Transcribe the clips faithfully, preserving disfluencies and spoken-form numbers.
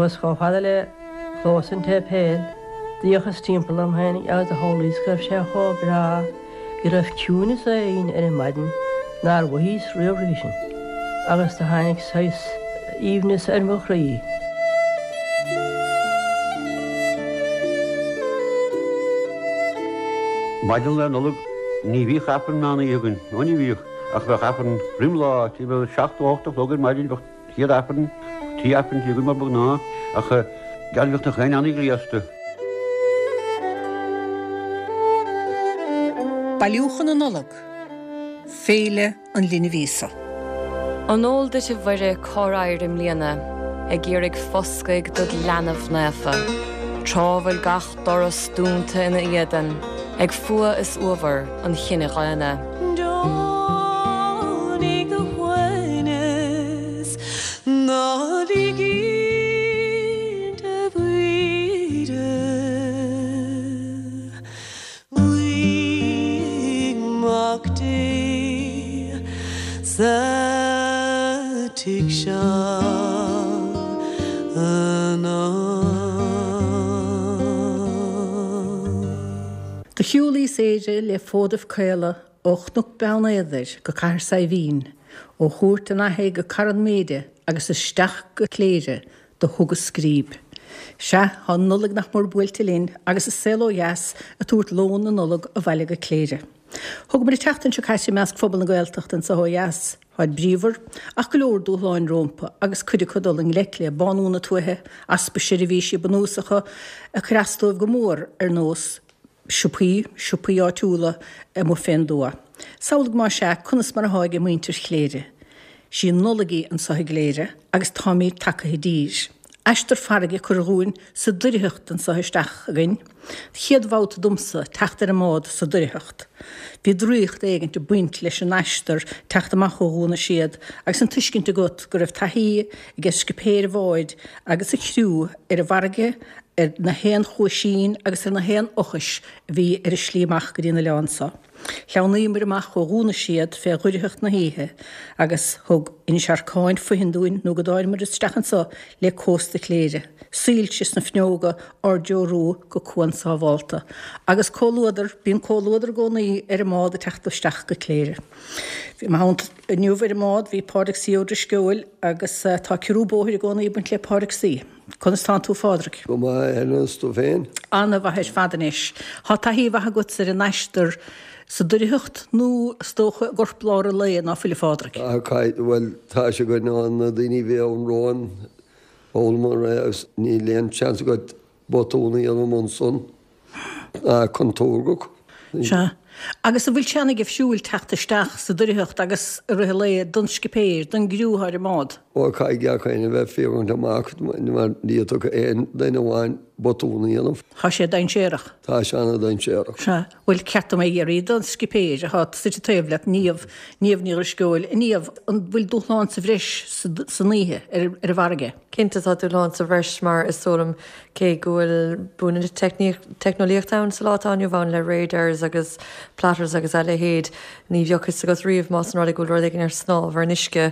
Suas chomh fada le clós an tséipéil, d'fhéachas timpeall orm féin agus do shamhlaíos go raibh sé chomh breá go raibh ciúnas éigin ar an maidin nár mhothaíos riamh roimhe sin, agus do tháinig saghas aoibhneas ar mo chroí. Maidin Lá Nollag ní bhíodh Aifreann meán oíche againn, ó ní bhíodh, ach bheadh Aifreann roim lá, timpeall seacht nó ocht a chlog ar maidin bheadh chéad Aifreann, trí Aifreann againn mar ba ghnáth, ach geall bheadh na crainn an-ghléasta. Bailiúchán na Nollag, Féile an Linbh Íosa. An eol duit a Mhuire cár éirigh i mbliana ag iarraidh foscaidh dod leanbh naofa, tráth bhfuil gach doras dúnta ina éadan ag fuath is uabhar an chine dhaonna. Deonaigh do shuaimhneas, ná lig a Mhuire. Luigh Mac Dé sa tigh seo anocht. Do shiúlaíos Éire le fódaibh caola ó Chnoc Beann Éadair go Cathair Saidhbhín, ó Chúirt an Fhathaigh go Carn Méide agus isteach go Cléire do thugas scríb. Sea, tá an Nollaig nach mór buailte linn agus An Saol Ó Dheas ag tabhairt lón na Nollag abhaile go Cléire. Thugamar an tseachtain seo caite i measc phobal na Gaeltachta anso ó dheas. Táid bríomhar, ach go leor dúshláin rómpa agus cuid acu dul i ngleic le bánú na tuaithe, easpa seirbhísí bunúsacha ag cur as dóibh go mór ar nós siopaí, siopaí áitiúla amuigh fén dtuath. Samhlaigh más ea conas mar athá ag muintir Chléire. Sí an Nollaig í anso i gCléire agus táimid tagtha i dtír. Aistear farraige curtha dhúinn sa doircheacht anso isteach againn. Chéad bhabhta domsa teacht ar an mbád sa doircheacht. Bhí draíocht éigint ag baint leis an aistear teacht amach ó Dhún na Séad agus an tuiscint agat go raibh taithí ag scipéir an bháid agus a chriú ar an bhfarraige, ar na haon chuaisín agus ar na haon fhochais a bhí ar a slí amach go dtí an oileán so. Shleamhnaíomair amach ó Dhún na Séad fé dhoircheacht na hoíche agus thug Inis Arcáin fothain dúinn nó go dtáinimear isteach anso le cósta Chléire, soilse sna fuinneoga ár dtreorú go cuan sábhálta. Agus comhluadar, bíonn comhluadar i gcónaí ar an mbád ag teacht isteach go Cléire. I mo theannta inniu ar an mbád bhí Pádraig C. Ó Drisceoil agus tá ciorrú bóthair i gcónaí ag baint le Pádraig C. Conas tánn tú a Phádraig? Go maith, Helen, is tú féin? Ana-mhaith ar fad anois. Tá taithí mhaith agatsa ar an aistear sa doircheacht nó is dócha i gcorplár an lae ná fuil a Phádraig? Tá, caith, bhuel, tá sé againn ann, na daoine a bhí ann romhainn, d'fhoghlaim é agus níl aon seans agat botún a dhéanamh ansan, contúirteach. Sea. Agus an bhfuil sé an-gheimhsiúil teacht isteach sa doircheacht agus i rith an lae don scipéir, don gcriú atá ar an mbád? Ó, caithfidh gach éinne a bheith ag féachaint amach mar ní fhéadfadh aon duine amháin botún a dhéanamh. Tá sé dainséarach. Tá sé an-dainséarach. Sea. Bhuel, ceart dom é a iarraidh don scipéir atá suite taobh leat, Niamh, Niamh Ní Dhrisceoil. A Niamh, an bhfuil dúshlán sa bhreis san oíche ar an bhfarraige? Cinnte tá dúshlán sa bhreis mar is dóigh liom cé go bhfuil bua na teicneolaíochta ann sa lá atá inniu ann le radars agus platters agus a leithéid, ní bheadh fhios agat riamh más an rud é go bhfuil rud éigin ar snámh ar an uisce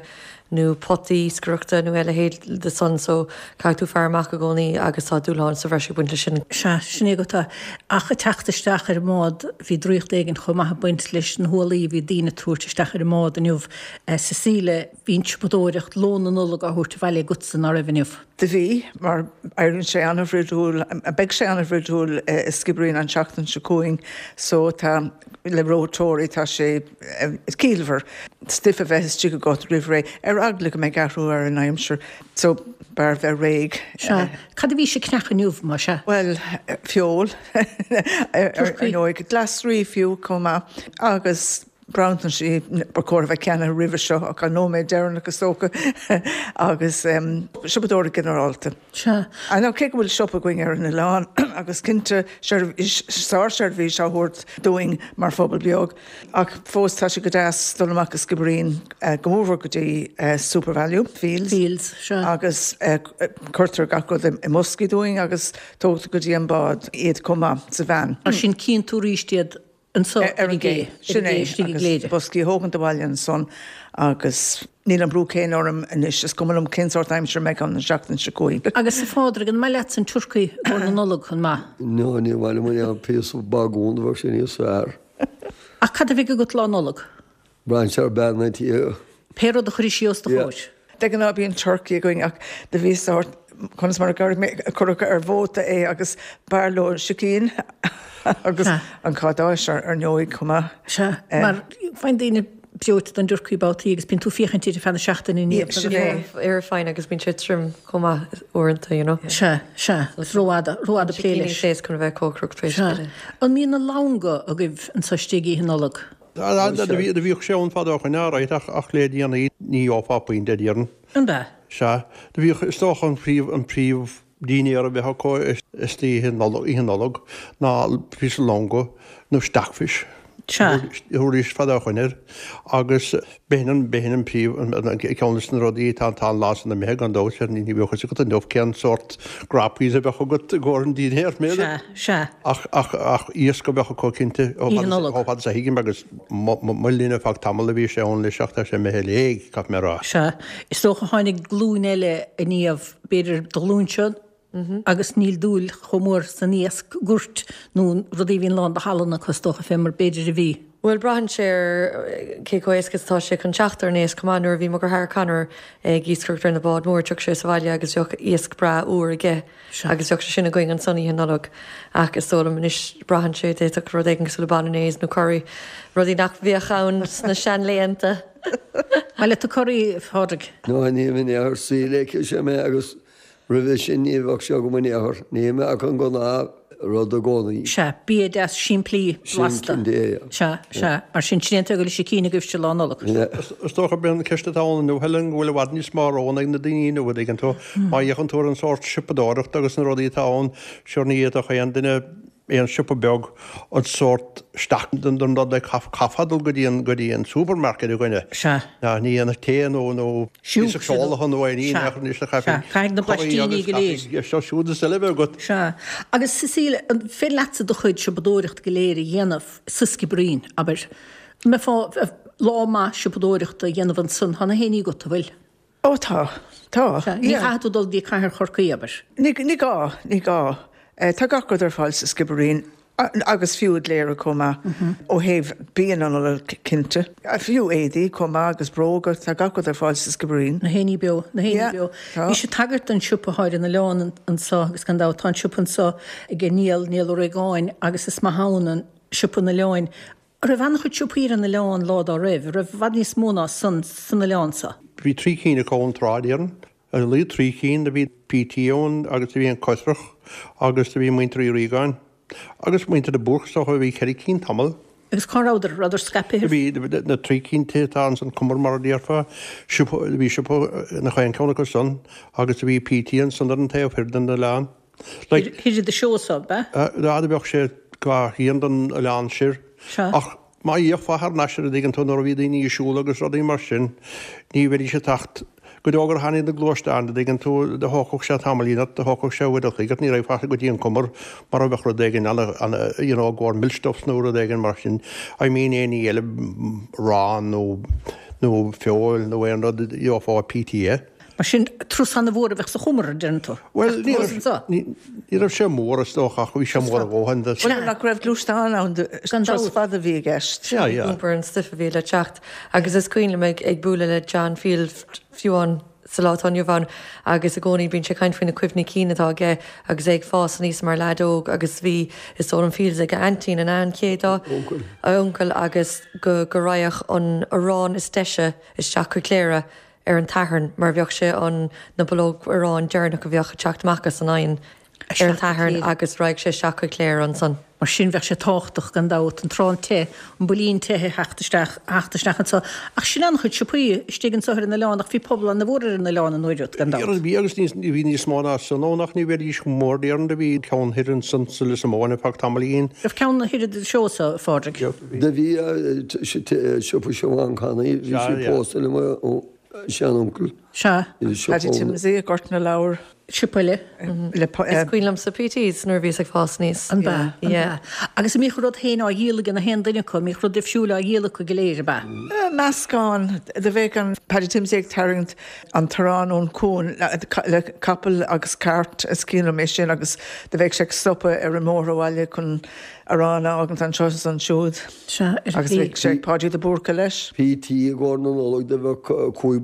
nó potaí iascaireachta nó a leithéid de san so caithfidh tú faire amach i gcónaí agus tá dúshlán sa bhreis ag baint leis sin. Sea, sin é go tá. Ach ag teacht isteach ar an mbád bhí draíocht éigin chomh maith ag baint leis na hualaí a bhí daoine ag tabhairt isteach ar an mbád inniu. Cecilia, bhí an tsiopadóireacht, lón na Nollag á thabhairt abhaile agatsa, ná raibh inniu? Do bhí, mar éiríonn sé an-bhrúidiúil, beidh sé an-bhrúidiúil i Skibbereen an tseachtain seo chugainn so tá, le reoiteoirí, tá sé ciallmhar stuif a bheith istigh agat roimh ré, ar eagla go mbeidh athrú ar an aimsir so b'fhearr bheith réidh. Sea. Cad a bhís ag ceannach inniu, más ea? Bhuel, feoil, ar ndóigh, glasraí fiú chomh maith agus bronntanais ba chóir a bheith ceannaithe roimhe seo ach an nóiméad deireanach is dócha agus siopadóireacht ginearálta. Sea. Nó cé go bhfuil siopa againn ar an oileán agus cinnte sárseirbhís á thabhairt dúinn mar phobal beag ach fós tá sé go deas dul amach go Skibbereen go mórmhór go dtí SuperValu Fields Fields, sea. agus cuirtear gach rud i mboscaí dúinn agus tógtar go dtí an bád iad chomh maith sa veain. Mar sin cíonn tú arís iad Anso ar an gcé. Sin é, agus boscaí a thógaint abhaile ansan agus níl an brú céanna orm anois, is cuma liom cén sórt aimsir a mbeidh ann an seachtain seo chugainn. Agus a Phádraig, an maith leatsa an turcaí i gcomhair na Nollag, an maith? No, ní maith liom an píosa bagún, bheadh sé níos fearr. Ach cad a bheidh agat Lá Nollag? Braitheann sé ar bean an tí. Pé rud a chuirfidh sí os do chomhair. De ghnáth bíonn turcaí againn ach do bhí sórt, conas mar a gcuirfidh mé, cuireadh ar vóta é agus b'fhearr leo sicín agus an cadáis ar ndóigh chomh maith. Sea, mar faigheann daoine breoite den dturcaí babhtaí agus bíonn tú ag féachaint air ar feadh na seachtaine i ndiaidh. Sin é. Ar fine agus bíonn sé trom chomh maith uaireanta, you know. Sea, sea, is rófhada, rófhada plé leis. Sicíní is chun a bheith cócaireacht tar éis Sea. An mbíonn na longa agaibh anso istigh Oíche Nollag? Do bhíodh sé ann fadó ó shoin alright ach ach le déanaí ní gheofá punt déarfainn. An ea? Sea. Do bhíodh, is dócha an príomh, an príomh dinnéar a bheadh acu istoíche Nollag, Oíche Nollag ná píosa longa nó stockfish. Sea. Thabharfaidís fadó ó shoin air agus b'shin an, b'shin an príomh, an ceann des na rudaí atá, tá an lá san imithe gan dabht, ní bheadh fhios agat inniu cén sórt grappies a bheadh agat i gcomhair an dinnéir, b'fhéidir. Sea, sea. Ach, ach, ach iasc a bheadh acu cinnte, Oíche Nollag. chomh fada is a thuigim agus mo, mo, mo linne ar feadh tamaill a bhí sé ann leis ach tá sé imithe i léig, caithfidh mé a rá. Sea. Is dócha tháinig glúin eile aniar, b'fhéidir do ghlúinse, agus níl dúil chomh mór san iasc goirt nó rudaí a bhíonn lán de shalann acu is dócha fé mar b'fhéidir a bhí. Bhuel, braitheann sé ar cé chomh éasca is atá sé chun teacht ar an éasc chomh maith. Nuair a bhí mo dheartháir Conor ag iascaireacht ar na báid mór, thiocfadh sé sa bhaile agus bheadh iasc breá úr aige agus bheadh sé sin againn ansan Oíche Nollag. Ach is dóigh liom anois, braitheann sé, d'fhéadfadh rud éigin cosúil le bolognese nó curry, rudaí nach bhíodh ann sna seanlaethanta. Maith leat an curry, a Phádraig? No, ní in aon chor, saol aici sé mé agus Roimhe sin ní bheadh sé agam in aon chor, ní mé ach an gnáth rud i gcónaí. Sea, bia deas simplí blasta. Sin cinnte é, yeah. Sea, sea. Mar sin, sin é an tuige go bhfuil sicín agaibhse Lá Nollag. Yeah. Is dócha gurb é an ceist atá ann inniu, Helen, go bhfuil i bhfad níos mó roghanna ag na daoine inniu, an dtuigeann tú. Má fhéachann tú ar an sórt siopadóireachta agus na rudaí atá ann, sure ní fhéadfadh aon duine aon siopa beag an sórt stoc den den rud le caithfeá dul go dtí an go dtí an supermarket a dhuine. Sea. Ná ní dhéanfaidh tae nó nó Siúc píosa feola nó aon ní Sea. nach anois le Sea. caithfidh Caithfidh na curry blaistíní agus go léir. caithfidh seo siúd is eile a bheith agat. Sea. Agus Cecile, an féidir leatsa do chuid siopadóireachta go léir a dhéanamh sa Sciobairín, abair? An mbeifeá lá maith siopadóireachta a dhéanamh ansan, tá na héinní agat, an bhfuil? Ó tá, tá. Sea. Ní chaithfidh tú dul go dtí Cathair Chorcaí, abair? Ní ní gá, ní gá. Tá gach rud ar fáil sa Sciobairín agus fiú i gCléire chomh maith, ó thaobh bia na Nollag cinnte. Fiú éadaí chomh maith agus bróga, tá gach rud ar fáil sa Sciobairín. Na héinní beo, na héinní beo. Tá. Bhís ag tagairt don siopa atá ar an oileán anso agus gan dabht tá an siopa anso ag Niall, Niall Ó Réagáin agus is maith ann an siopa an oileáin. An raibh an-chuid siopaí ar an oileán lá dá raibh? An raibh i bhfad níos mó ná san san oileán so? Bhí trí cinn acu an tráth, déarfainn. Ar a laghad trí cinn, do bhí PT ann agus do bhí an Coisreach agus do bhí muintir Uí Riagáin agus muintir de Búrc is dócha, bhí ceithre cinn tamall. Agus cá rabhadar? Rabhadar scaipthe? Do bhí na trí cinn tithe atá ann san cumar mar a déarfá, siopa, do bhí siopa ina chaon ceann acu san agus do bhí PT ansan ar an taobh thoir den oileán. Like. Thoir de Seosamh, ab ea? Á, do bheadh sé dhá thrian den oileán soir. Sea. Ach má fhéachfá thar n-ais air an dtuigeann tú nuair a bhí daoine ag siúl agus rudaí mar sin, ní bheidís ag teacht go deo gur tháinig na gluaisteáin, an dtuigeann tú, do thógfadh sé tamaillín ort, do thógfadh sé uair a chloig ort, ní raghfá go dtí an cumar mara mbeadh rud éigin ana, ana, you know, i gcomhair milkstuffs nó rud éigin mar sin, I mean aon ní eile, arán nó, nó feoil nó aon rud, gheofá i PT é. Mar sin, turas ana-mhór a bheadh sa chumar, a deireann tú. Bhuel, ní Turas raibh, anseo. ní, ní raibh sé mór is dócha ach bhí sé mór a dhóthain. Bhuel, nach raibh gluaisteán ann, Gan turas dabht. fada a bhí i gceist. Yeah, yeah. Iompar an stuif a bhí le teacht. Agus is cuimhin liom ag, ag bualadh le John Field fiú amháin sa lá atá inniu ann agus i gcónaí bíonn sé ag caint faoi na cuimhní cinn atá aige agus é ag fás aníos mar leaid óg agus bhí is dóigh liom Fields ag a aintín an an chéad Uncail. a uncail agus go go raghadh an arán is deise isteach chuig Cléire ar an tSatharn mar bheadh sé an na bulóg aráin deireanach a bheadh ag teacht amach as an oigheann ar an tSatharn agus raghadh sé isteach chuig Cléire ansan. Mar sin bheadh sé tábhachtach gan dabht an t-arán te, an builín te a theacht isteach, a theacht isteach anso. Ach sin an-chuid siopaí istigh anso ar an oileán ach bhí pobal ana-mhór ar an oileán an uair úd gan dabht. Bhí agus níos, bhí níos mó ná san ann ach ní bheidís chomh mór déarfainn do bhí ceann thoir ansan sa Lios Móin ar feadh tamaillín. Raibh ceann thoir i Seosamh, a Phádraig? Do bhí siopa Siobhán Canny, bhí sí pósta le mo seanuncail. Sea. Paddy Timsey ag Gort na Leabhar. Siopa eile. Le Is cuimhin liomsa PT's nuair a bhíos ag fás aníos. An b'ea? An b'ea? Agus an mbíodh rud féin á dhíol ag na haon duine acu, an mbíodh rud difriúil á dhíol acu go léir, ab ea? Meascán. Do bheadh an Paddy Timsey ag tarraingt an t-arán ón cuan le capall agus cairt, is cuimhin liom é sin, agus do bheadh sé ag stopadh ar an mbóthar abhaile chun arán a fhágaint anseo is ansiúd. Sea, ar Agus bheadh sé ag Páidí de Búrca leis. PT i gcomhair na Nollag do bheadh cúig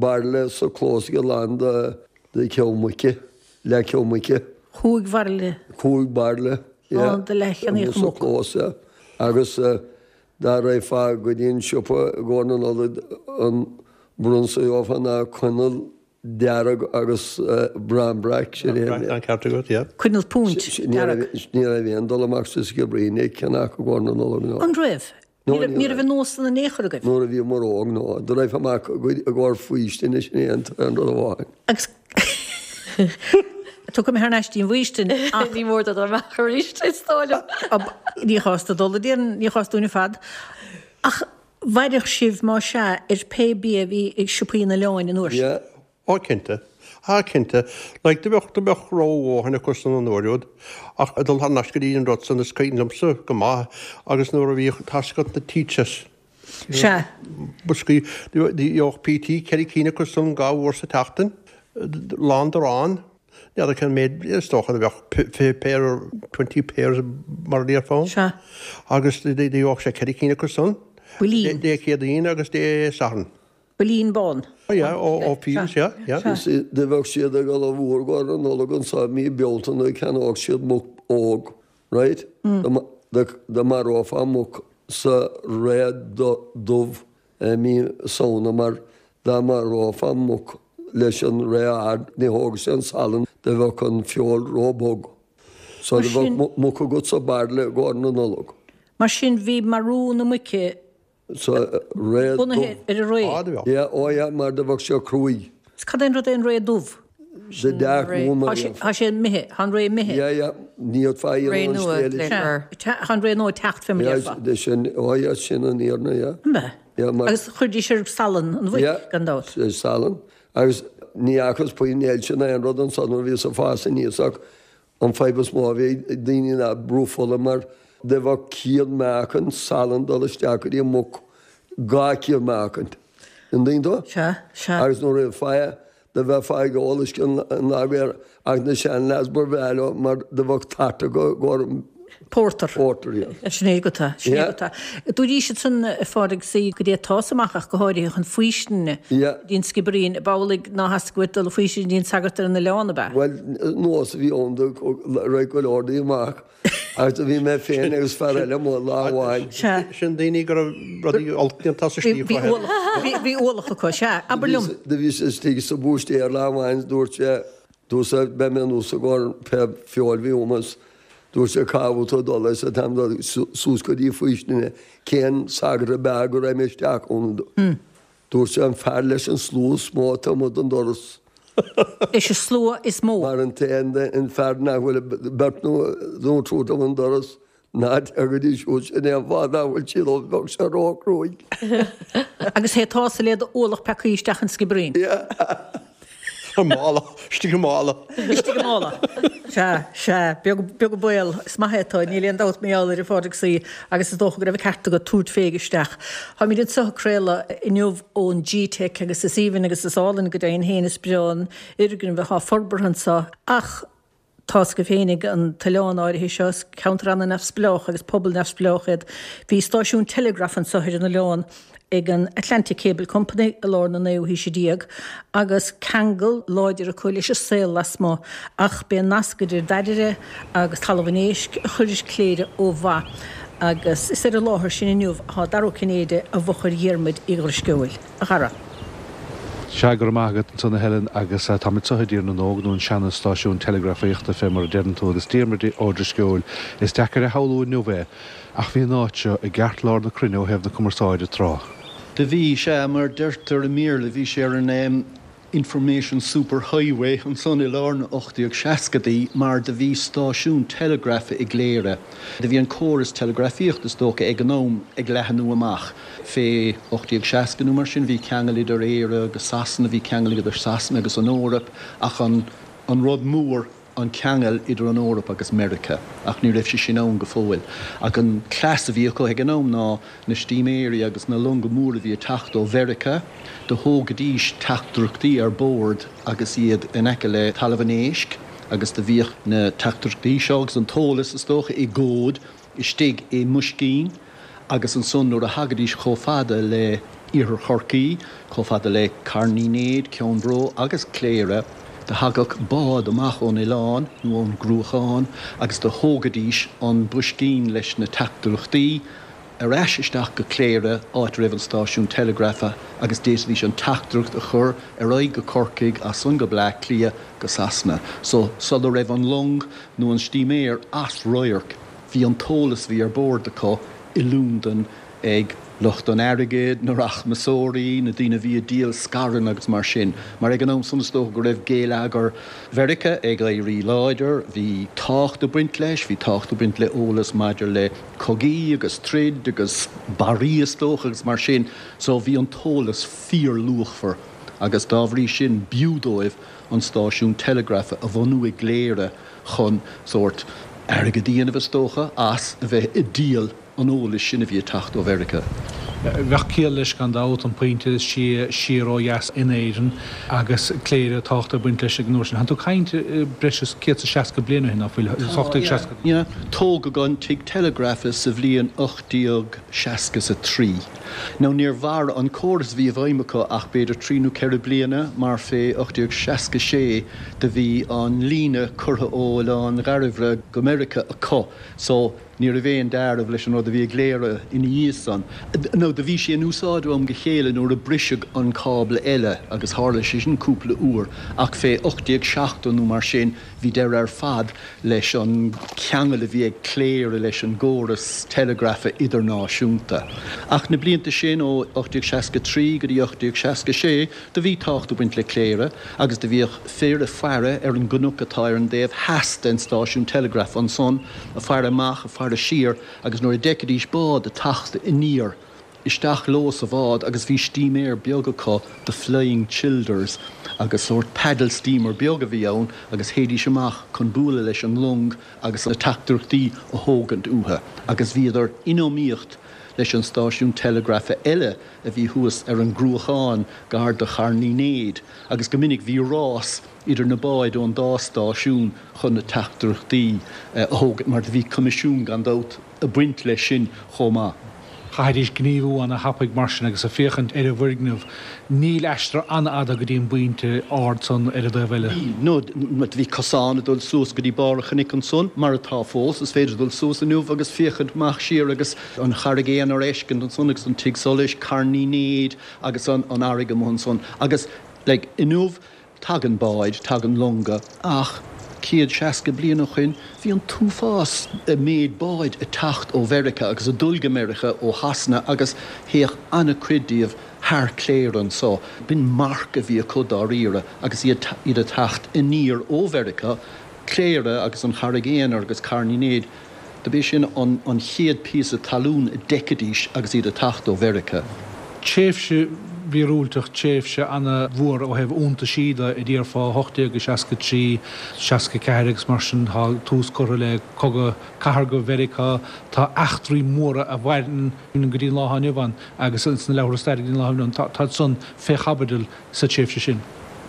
bairille sa chlós aige lán de De cheo muice, leath-cheo muice. Cúig bhairille. Cúig bhairille, yeah. Lán de leathcheannaíocha Amuigh sa muc. chlós, yeah. Agus dá raghfá go dtí an siopa i gcomhair na Nollag an bronnsa a gheofá ná coinneal dearg agus baránbreac, sin é. Tá an ceart agat, yeah. Coinneal punt Ní dearg. raibh ní raibh aon dul amach sa Sciobairín ag ceannach i gcomhair na Nollag, no. An raibh? Ní raibh an nós san in aon chor agaibh? Nuair a bhíomar óg, no. Do raghfá amach i gcomhair faoistine, sin é an rud amháin. Agus tiocfaidh mé thar n-ais dtí'n bhfaoistin ach. Ní mór dó dul amach arís, is dóigh liom. Ní chás do dul a dtéann, ní chás dúinn ar fad. Ach mhairfeadh sibh, más ea, ar pé bia a bhí ag siopaí an oileáin an uair sin? Yeah. Ó cinnte. Ah cinnte. Like do bheadh, do bheadh ró-dhóthain acu san an uair úd. Ach ag dul thar n-ais go dtí an rud san is cuimhin liomsa go maith agus nuair a bhíodh tá's agat na teachers. Sea. Boscaí, do gheobhadh PT ceithre cinn acu san dhá uair sa tseachtain, lán d'arán. N'fheadar cén méid, is dócha do bheadh fiche pair or twenty pairs mar a déarfá ann. Sea. Agus do gheobhadh sé ceithre cinn acu san. Builín. Dé Céadaoin agus Dé Sathairn. Builín bán. Oh yeah, ó ó Fields, yeah, yeah. You see, do bheadh siad ag dul i bhfuar i gcomhair na Nollag anso i mí Bealtaine cheannódh siad muc óg, right? Dá marófá muc sa ré dubh i mí Samhna mar dá marófá muc leis an ré ard ní thógadh sé an salann do bheadh an feoil ró-bhog. So do bheadh muc agat sa bhairille i gcomhair na Nollag. Mar sin bhí marú na muice Sa ré dubh. Bunaithe ar an ré. Á, do bheadh. Yeah, ó yeah, mar do bheadh sé cruaidh. Is cad é an rud é an ré dubh? The dark one. Tá sé, tá sé imithe, tá an ré imithe. Yeah, yeah, ní fhéadfá a Ré dhéanamh an nua, scéal. léifear. Sea, tá an ré nua ag teacht fé mar a Yeah, déarfá. de sin, ó yeah, sin an fhírinne, yeah. An b'ea? Yeah, mar. Agus chuirdís ar salann an mhuic, Yeah, gan dabht. ar salann. Agus ní fhacthas puinn ailse ná aon rud ansan nuair a bhíos ag fás aníos ach An fadhb is mó a bhí ag daoine ná brú fola mar do bheadh cíor meáchain salann dul isteach go dtí an muc, dhá cíor meáchain. An dtuigeann tú? Sea, sea. Agus nuair a bheifeá, do bheifeá ag ól uisce an lag ach na sean-leaids ba bhreá leo mar do bheadh tart acu i gcomhair Porter. Porter, yeah. Sin é agat é, sin é Yeah. agat é. Dúirt siad-san, a Phádraig, sea, go dté tusa amach ach go háirithe chun faoistine Yeah. go dtí an Sciobairín, ab amhlaidh ná theastaigh uait dul a faoistine go dtí an sagart ar an oileán, ab ea? Bhuel, nós a bhí ann do raibh go leor daoine amach agus do bhí mé féin agus fear eile amuigh lá amháin. Sea. Sin daoine go raibh rudaí olc déanta sa Bhí slí bhí acu. ualach, bhí bhí ualach acu, sea. Abair liom. Do bhíos istigh sa búistéir lá amháin is dúirt sé, Tusa, beidh mé anuas i gcomhair pé feoil bhí uaim is Dúirt sé, Cá bhfuil tú ag dul? Arsa Táim ag dul suas go dtí faoistine. Cén sagart ab fhearr go raibh mé isteach ann? Dúirt sé, An fear leis an slua is mó atá amuigh don doras. Leis an slua is mó. Mar an t-aon an fear nach bhfuil beirt nó nó triúr amuigh don doras, ná téir go dtí siúd, sin é an fáth nach bhfuil siad ann, bheadh sé róchruaidh. Agus théadh tusa le d'ualach peacaí isteach an Sciobairín. Yeah. I mála, istigh i mála. Istigh i mála. Sea, sea, beag, beag an baol. Is maith é atá, níl aon dabht mar gheall air, a Phádraig Sea, agus is dócha go raibh an ceart agat tabhairt féig isteach. Táimid anseo ag craoladh inniu ón G-Teic agus is aoibhinn agus is álainn go deimhin féin is breá an fhoirgneamh atá forbartha anseo ach Tá's agaibh féinig an t-oileán áirithe seo, is ceantar ana-neamhspleách agus pobal neamhspleách iad. Bhí stáisiún teileagraif anseo ar an oileán ag an Atlantic Cable Company i lár na naoú haoise déag agus ceangal láidir acu leis an saol lasmuigh ach b'é an nasc idir Dairire agus Talamh an Éisc a chuir Cléire ó mhaith agus is ar an láthair sin inniu atá Dara Ó Cinnéide i bhfochair Dhiarmuid Uí Dhrisceoil. A Dhara. Sea, go raibh maith agat ansan a Helen agus táimid anseo i dTír na nÓg nó an seana-stáisiún teileagrafaíochta fé mar a deireann tú agus Diarmuid Ó Drisceoil, is deacair a shamhlú inniu é ach bhí an áit seo i gceartlár na cruinne ó thaobh na cumarsáide tráth. Do bhí, sea, mar deirtear i mBéarla, bhí sé ar an Information Superhighway ansan i lár na ocht déag seascadaí mar do bhí stáisiún teileagrafa i gCléire. Do bhí an córas teileagrafaíochta is dócha ag an am ag leathnú amach. Fé ocht déag seasca nó mar sin bhí ceangal idir Éire agus Sasana, bhí ceangal idir Sasana agus an Eoraip ach an an rud mór an ceangal idir an Eoraip agus Meiriceá, ach ní raibh sé sin ann go fóill. Ach an cleas a bhí acu ag an am ná na stíméirí agus na longa móra a bhí ag teacht ó Mheiriceá, do thógaidís teachtaireachtaí ar bord agus iad in aice le Talamh an Éisc agus do bhíodh na teachtaireachtaí seo agus an t-eolas, is dócha, i gcód istigh i mboiscín agus ansan nuair a thagaidís chomh fada le Iarthar Chorcaí, chomh fada le Carn Uí Néid, Ceann Bró agus Cléire, Do thagadh bád amach ón oileán nó ón gCruachán agus do thógaidís an boiscín leis na teachtaireachtaí ar ais isteach go Cléire, áit a raibh an stáisiún teileagrafa, agus d'fhéadfaidís an teachtaireacht a chur ar aghaidh go Corcaigh, as san go Bleá Cliath, go Sasana. So, sula raibh an long nó an stíméar as radharc, bhí an t-eolas a bhí ar bord acu i Londain ag lucht an airgid, na rachmasóirí, na daoine a bhí ag díol scaireanna agus mar sin, mar ag an am san is dócha go raibh géilleagar Mheiriceá ag éirí láidir, bhí tábhacht ag baint leis, bhí tábhacht ag baint le eolas maidir le cogaí agus troid agus barraí is dócha agus mar sin, so bhí an t-eolas fíorluachmhar agus dá bhrí sin b'fhiú dóibh an stáisiún teileagrafa a bhunú i gCléire chun sórt airgead a dhéanamh is dócha as a bheith ag díol an eolais sin a bhí ag teacht ó Mheiriceá. Bheadh ciall leis gan dabht, an pointe is sia siar ó dheas in Éirinn agus Cléire, tábhacht ag baint leis ag an uair sin. Tánn tú ag caint breis is céad is seasca bliain ó shin, ná fuil? Ocht déag seasca. Yeah. Tógadh an tigh teileagrafa sa bhliain ocht déag seasca is a trí. Now níor mhair an córas a bhí i bhfeidhm acu ach b'fhéidir trí nó ceithre bliana mar fé ocht déag seasca sé do bhí an líne curtha ó Oileán Dhairbhre go Meiriceá acu so ní raibh aon dealramh leis an rud a bhí i gCléire ina dhiaidh san. Now do bhí sé in úsáid ó am go chéile nuair a briseadh an cábla eile agus tharla sé sin cúpla uair ach fé ocht déag seachtó nó mar sin bhí deireadh ar fad leis an cheangal a bhí ag Cléire leis an gcóras teileagrafa idirnáisiúnta. Ach na blianta sin ó ocht déag seasca trí go dtí ocht déag seasca sé do bhí tábhacht ag baint le Cléire agus do bhíodh fir ag faire ar an gcnoc atá ar an dtaobh theas den stáisiún teileagraif ansan, ag faire amach, ag faire siar agus nuair a d'fheicfidís bád ag teacht aniar, isteach leo sa bhád agus bhí stíméar beag acu, The Flying Childers, agus sórt paddle steamer beag a bhí ann agus théidís amach chun bualadh leis an long agus na teachtaireachtaí a thógaint uathu agus bhíodar in iomaíocht leis an stáisiún teileagrafa eile a bhí thuas ar an gCruachán gar do Charn Uí Néid agus go minic bhí rás idir na báid ón dá stáisiún chun na teachtaireachtaí a thógaint mar do bhí coimisiún gan dabht ag baint leis sin chomh maith. Chaithfidís gníomhú ana-thapaidh mar sin agus ag féachaint ar an bhfoirgneamh. Níl aistear an-fhada go dtí an bpointe ard san ar an dtaobh eile. Níl, no, bhí cosán ag dul suas go dtí barr an chnoic ansan, mar atá fós. Is féidir dul suas inniu agus féachaint amach siar agus an Charraig Aonair a fheiscint ansan agus an Tigh Solais, Carn Uí Néid agus an fharraige amuigh ansan. Agus, like, inniu, Tagann báid, tagann longa, ach céad seasca bliain ó shoin bhí an t-uafás méid báid ag teacht ó Mheiriceá agus ag dul go Meiriceá ó Shasana agus théadh an-chuid díobh thar Cléire anso. B'in marc a bhí acu dáiríre agus iad ag teacht aniar ó Mheiriceá, Cléire agus an Charraig Aonair agus Carn Uí Néid. Do b'é sin an chéad píosa talún a d'fheicfidís agus iad ag teacht ó Mheiriceá. Tréimhse mhíorúilteach, tréimhse ana-mhór ó thaobh iontaisí de, a déarfá, ocht déag seasca trí, seasca ceathair agus mar sin, tá tús curtha le cogadh cathartha Mheiriceá, tá eachtraí móra a mhaireann go dtí an lá atá inniu ann agus sna leabhartha staire go dtí an lá atá inniu ann, tá san fé chaibidil sa tréimhse sin.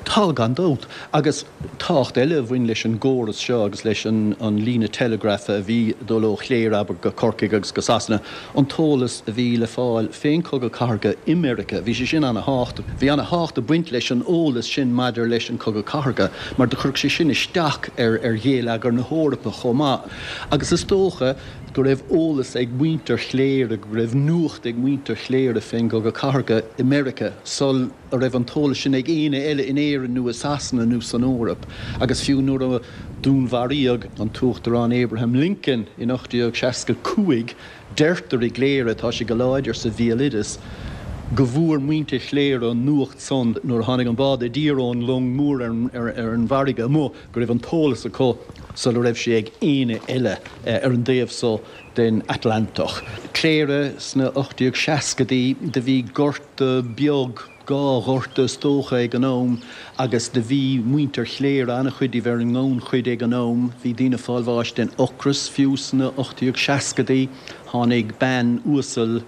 Tá, gan dabht. Agus tábhacht eile a bhain leis an gcóras seo agus leis an líne teileagrafa a bhí ag dul ó Chléire, abair, go Corcaigh agus go Sasana, an t-eolas a bhí le fáil fén Chogadh Cathartha i Meiriceá, bhí sé sin ana-thábhachtach. Bhí ana-thábhacht ag baint leis an eolas sin maidir leis an Chogadh Cathartha mar do chuirfeadh sé sin isteach ar ghéilleagar na hEorpa chomh maith. Agus is dócha go raibh eolas ag muintir Chléire, go raibh nuacht ag muintir Chléire fén gCogadh Cathartha i Meiriceá sul a raibh an t-eolas sin ag éinne eile in Éirinn nó i Sasana nó san Eoraip. Agus fiú nuair a dúnmharaíodh an tUachtarán Abraham Lincoln in ocht déag seasca cúig, deirtear i gCléire, tá sé go láidir sa bhéaloideas, go bhfuair muintir Chléire an nuacht san nuair a tháinig an bád i dtír ón long mór ar ar an bhfarraige amuigh, go raibh an t-eolas acu sula raibh sé ag éinne eile ar an dtaobh so den Atlantach. Cléire sna ocht déag seascadaí, do bhí gorta beag, dhá ghorta is dócha ag an am agus do bhí muintir Chléire, an-chuid díobh ar an ngannchuid ag an am, bhí daoine ag fáil bháis den ocras fiú sna ocht déag seascadaí. Tháinig bean uasal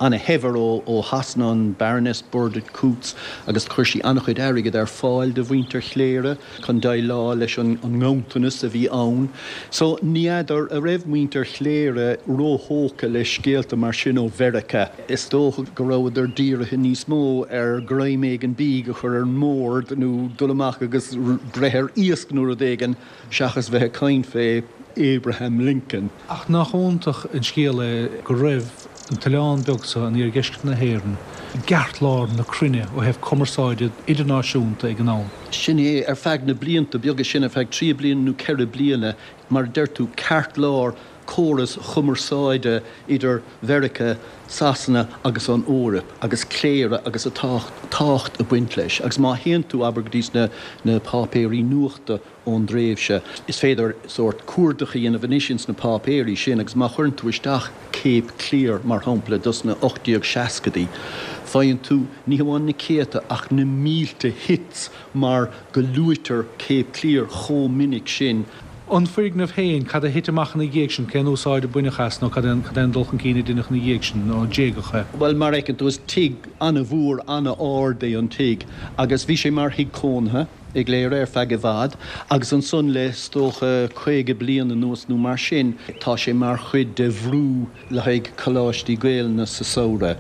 ana-shaibhir ó Shasana, an Baroness Burdett Coutts, agus chuir sí an-chuid airgid ar fáil do mhuintir Chléire chun déileáil leis an nganntanas a bhí ann. So ní fheadar a raibh muintir Chléire róthógtha le scéalta mar sin ó Mheiriceá. Is dócha go rabhadar dírithe níos mó ar ghreim éigin bídh a chur ar an mbord nó dul amach agus breith ar iasc nó rud éigin seachas bheith ag caint fé Abraham Lincoln. Ach nach iontach an scéal é go raibh an t-oileán beag seo in iardheisceart na hÉireann i gceartlár na cruinne ó thaobh cumarsáide idirnáisiúnta ag an am. Sin é, ar feadh na blianta beaga sin, ar feadh trí bliana nó ceithre bliana, mar a deir tú, ceartlár córas chumarsáide idir Mheiriceá, Sasana agus an Eoraip, agus Cléire agus a tábhacht ag baint leis. Agus má théann tú, abair, go dtí na páipéirí nuachta ón dtréimhse, is féidir sórt cuardach a dhéanamh anois ins na páipéirí sin agus má chuireann tú isteach Cape Clear, mar shampla, dos na ocht déag seascadaí, faigheann tú ní hamháin na céadta ach na mílte hits mar go luaitear Cape Clear chomh minic sin. An foirgneamh féin, cad a thit amach ina dhiaidh sin, cén úsáid a baineadh as nó cad é an dul chun cinn a deineadh ina dhiaidh sin nó d'éagadh é? Bhuel, mar a fheiceann tú, is tigh an-mhór, an-ard é an tigh agus bhí sé mar thigh cónaithe i gCléire ar feadh i bhfad agus ansan le, is dócha, caoga bliain anuas nó mar sin, tá sé mar chuid de bhrú le haghaidh coláistí Gaelainne sa samhradh.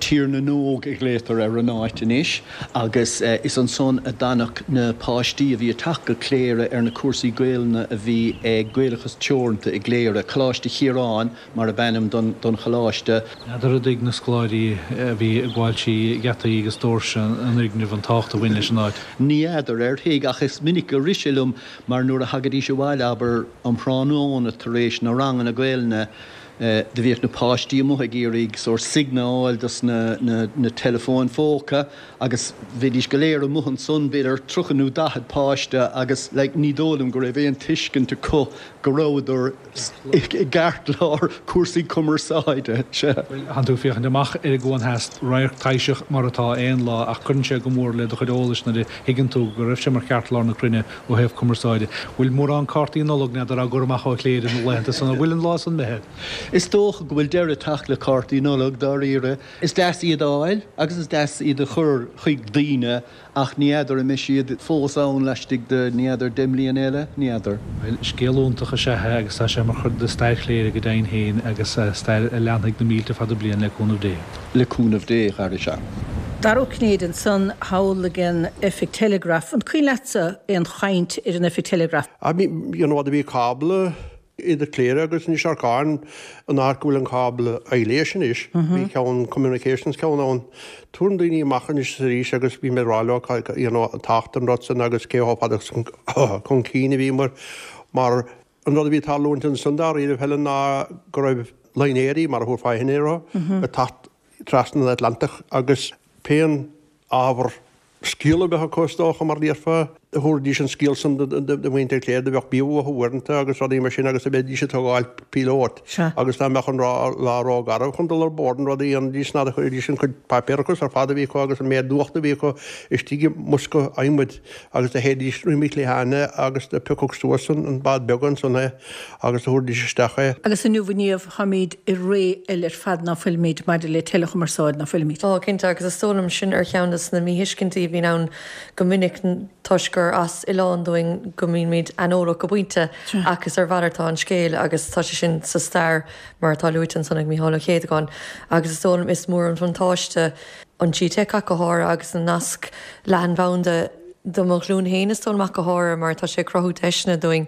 Tír na nÓg a ghlaotar ar an áit anois agus is ansan a d'fhanadh na páistí a bhí ag teacht go Cléire ar na cúrsaí Gaelainne a bhí ag Gaelachas Teoranta i gCléire, Coláiste Chiaráin mar ab ainm don choláiste. N'fheadar an dtuig na scoláirí a bhí ag gabháil trí gheataí agus doirse an fhoirgnimh an tábhacht a bhain leis an áit. Ní fheadar ar thuig ach is minic a rith sé liom mar nuair a thagaidís abhaile, abair, um thráthnóna tar éis na ranganna Gaelainne, do bhíodh na páistí amuigh ag iarraidh sórt signal a fháil dos na na teileafóin phóca agus bhídís go léir amuigh ansan, b'fhéidir tríocha nó daichead páiste agus like ní dóigh liom go raibh aon tuiscint acu go rabhadar i gceartlár cúrsaí cumarsáide. Sea. Bhuel, tánn tú ag féachaint amach ar an gCuan Theas, radharc taibhseach mar atá aon lá ach cuireann sé go mór le do chuid eolais nuair a thuigeann tú go raibh sé mar cheartlár na cruinne ó thaobh cumarsáide. Bhfuil mórán cártaí Nollag, n'fheadar, á gcur amach ó Chléire na laethanta san, an bhfuil an lá san imithe? Is dócha go bhfuil deireadh ag teacht le cártaí Nollag, dáiríre. Is deas iad a fháil agus is deas iad a chur chuig daoine ach ní fheadar an mbeidh siad fós ann laistigh de, ní fheadar, deich mbliana eile? Ní fheadar. Bhuel, scéal iontach is ea é agus tá sé mar chuid de stair Chléire go deimhin féin agus stair a leanfaidh na mílte fada bliain le cúnamh Dé. Le cúnamh Dé, a chara, sea. Dara Ó Cinnéide ansan thall ag an oifig teileagraif. An cuimhin leatsa aon chaint ar an oifig teileagraif? I mean, you know, do bhí cábla idir Cléire agus Inis Arcáin, an áit go bhfuil an cábla aibhléis anois, bhí ceann communications ceann ann. Tabharann daoine amach anois is arís agus bím ag rá leo you know, an tábhacht an rud san agus cé chomh fada chun cinn a bhíomar mar an rud a bhí ag tarlúint ansan dáiríre Helen ná go raibh línéirí, mar a thabharfá féin orthu, ag teacht trasna an Atlantach agus pén ábhar scéal a bheadh acu is dócha mar déarfá, thabharfaidís an scéal san do mhuintir Chléire, do bheadh bia uathu uaireanta agus rudaí mar sin agus do bheidís ag tógáil píolót agus dá mbeadh an lá ró-gharbh chun dul ar bord an rud a dhéanfaidís ná do chuiridís an chuid páipéarachas ar fad a bhí acu agus an méid nuachta a bhí acu istigh i mbosca adhmaid agus do théidís roimh cliatháin agus do piocadh suas an bád beag ansan é agus do thabharfaidís isteach é. Agus inniu a Niamh, táimid i ré eile ar fad ná fuilimid maidir le teileachumarsáid, ná fuilimid? Tá, cinnte, agus is dóigh liom sin ar cheann de na míthuiscintí a bhíonn ann go minic toisc gur as oileán dúinn go mbímid aineolach go pointe ach is ar mhalairt atá an scéal agus tá sé sin sa stair mar atá luaite ansan ag Mícheál Ó Céadagáin agus is dóigh liom is mór an bhuntáiste an G-Teic ach go háirithe agus an nasc leathanbhanda Do mo ghlúin féin is dóigh liom ach go háirithe mar tá sé ag cruthú deiseanna dúinn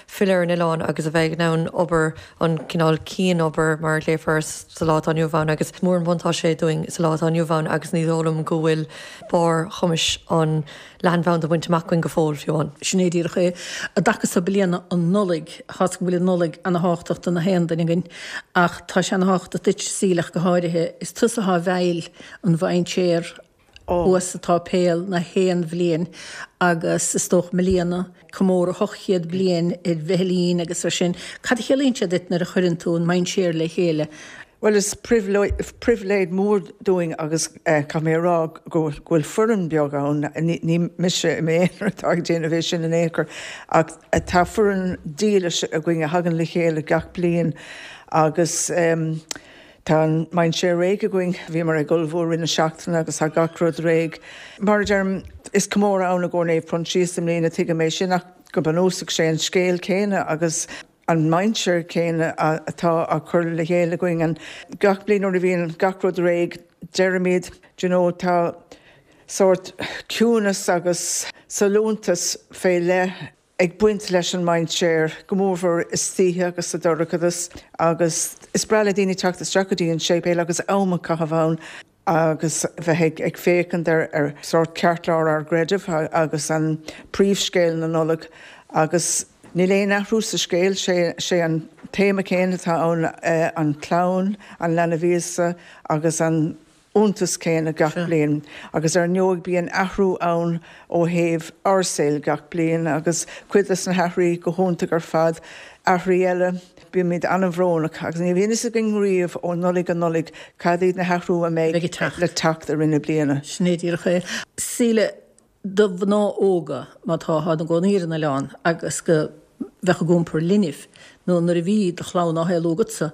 filleadh ar an oileán agus a bheith in ann obair an cineál cianobair mar a ghlaofar sa lá atá inniu ann agus is mór an buntáiste é dúinn sa lá atá inniu ann agus ní dóigh liom go bhfuil barr chumais an leathanbhanda bainte amach againn go fóill fiú amháin. Sin é díreach é. I dtaca so bliana an Nollaig, tá's go bhfuil an Nollaig ana-thábhachtach do na haon duine againn ach tá sé ana-thábhachtach duit Síle ach go háirithe. Is tusa atá i bhfeighil an mhainséar thuas sa tsáipéal na haon bhliain agus is dócha i mbliana, comóradh ocht chéad bliain ar Mhicilín agus ar sin. Cad a chiallaíonn sé duit nuair a chuireann tú an mainséar le chéile? Bhuel is pribhléid mór dúinn agus caithfidh mé a rá go bhfuil foireann beag ann, ní mise i m'aonar atá ag déanamh é sin in aon chor, ach tá foireann dílis againn a thagann le chéile gach bliain agus tá an mainséar réidh againn. Bhíomar ag ullmhú i rith na seachtaine agus tá gach rud réidh. Mar a deirim, is comóradh ann i gcomhair Naomh Proinsias i mbliana, tuigim é sin ach go bunúsach sé an scéal céanna agus an mainséar céanna atá á chur le chéile againn. And gach bliain nuair a bhíonn gach rud réidh, deirimid, do you know, tá sórt ciúnas agus sollúntas fé leith ag baint leis an mainséar, go mórmhór istoíche agus sa dorchadas, agus is breá le daoine teacht isteach go dtí an séipéal agus am a chaitheamh ann agus bheith ag féachaint ar ar sórt ceartlár ár gcreidimh agus an príomhscéal na Nollag agus níl aon athrú sa scéal, sé sé an téama céanna atá ann, an chlann, an leanbh Íosa agus an iontas céanna gach bliain agus ar ndóigh bíonn athrú ann ó thaobh ár saol gach bliain agus cuid des na hathruithe go hiontach ar fad, athruithe eile bímid an-bhrónach agus ní bhíonn fhios againn riamh ó Nollaig go Nollaig cad iad na hathrú a mbeidh le teacht i rith na bliana. Sin é díreach é. Síle, do mhná óga má tá atá ina gcónaí ar an oileán agus go bheadh ag iompar linbh nó nuair a bhí do chlann á shaolú agatsa,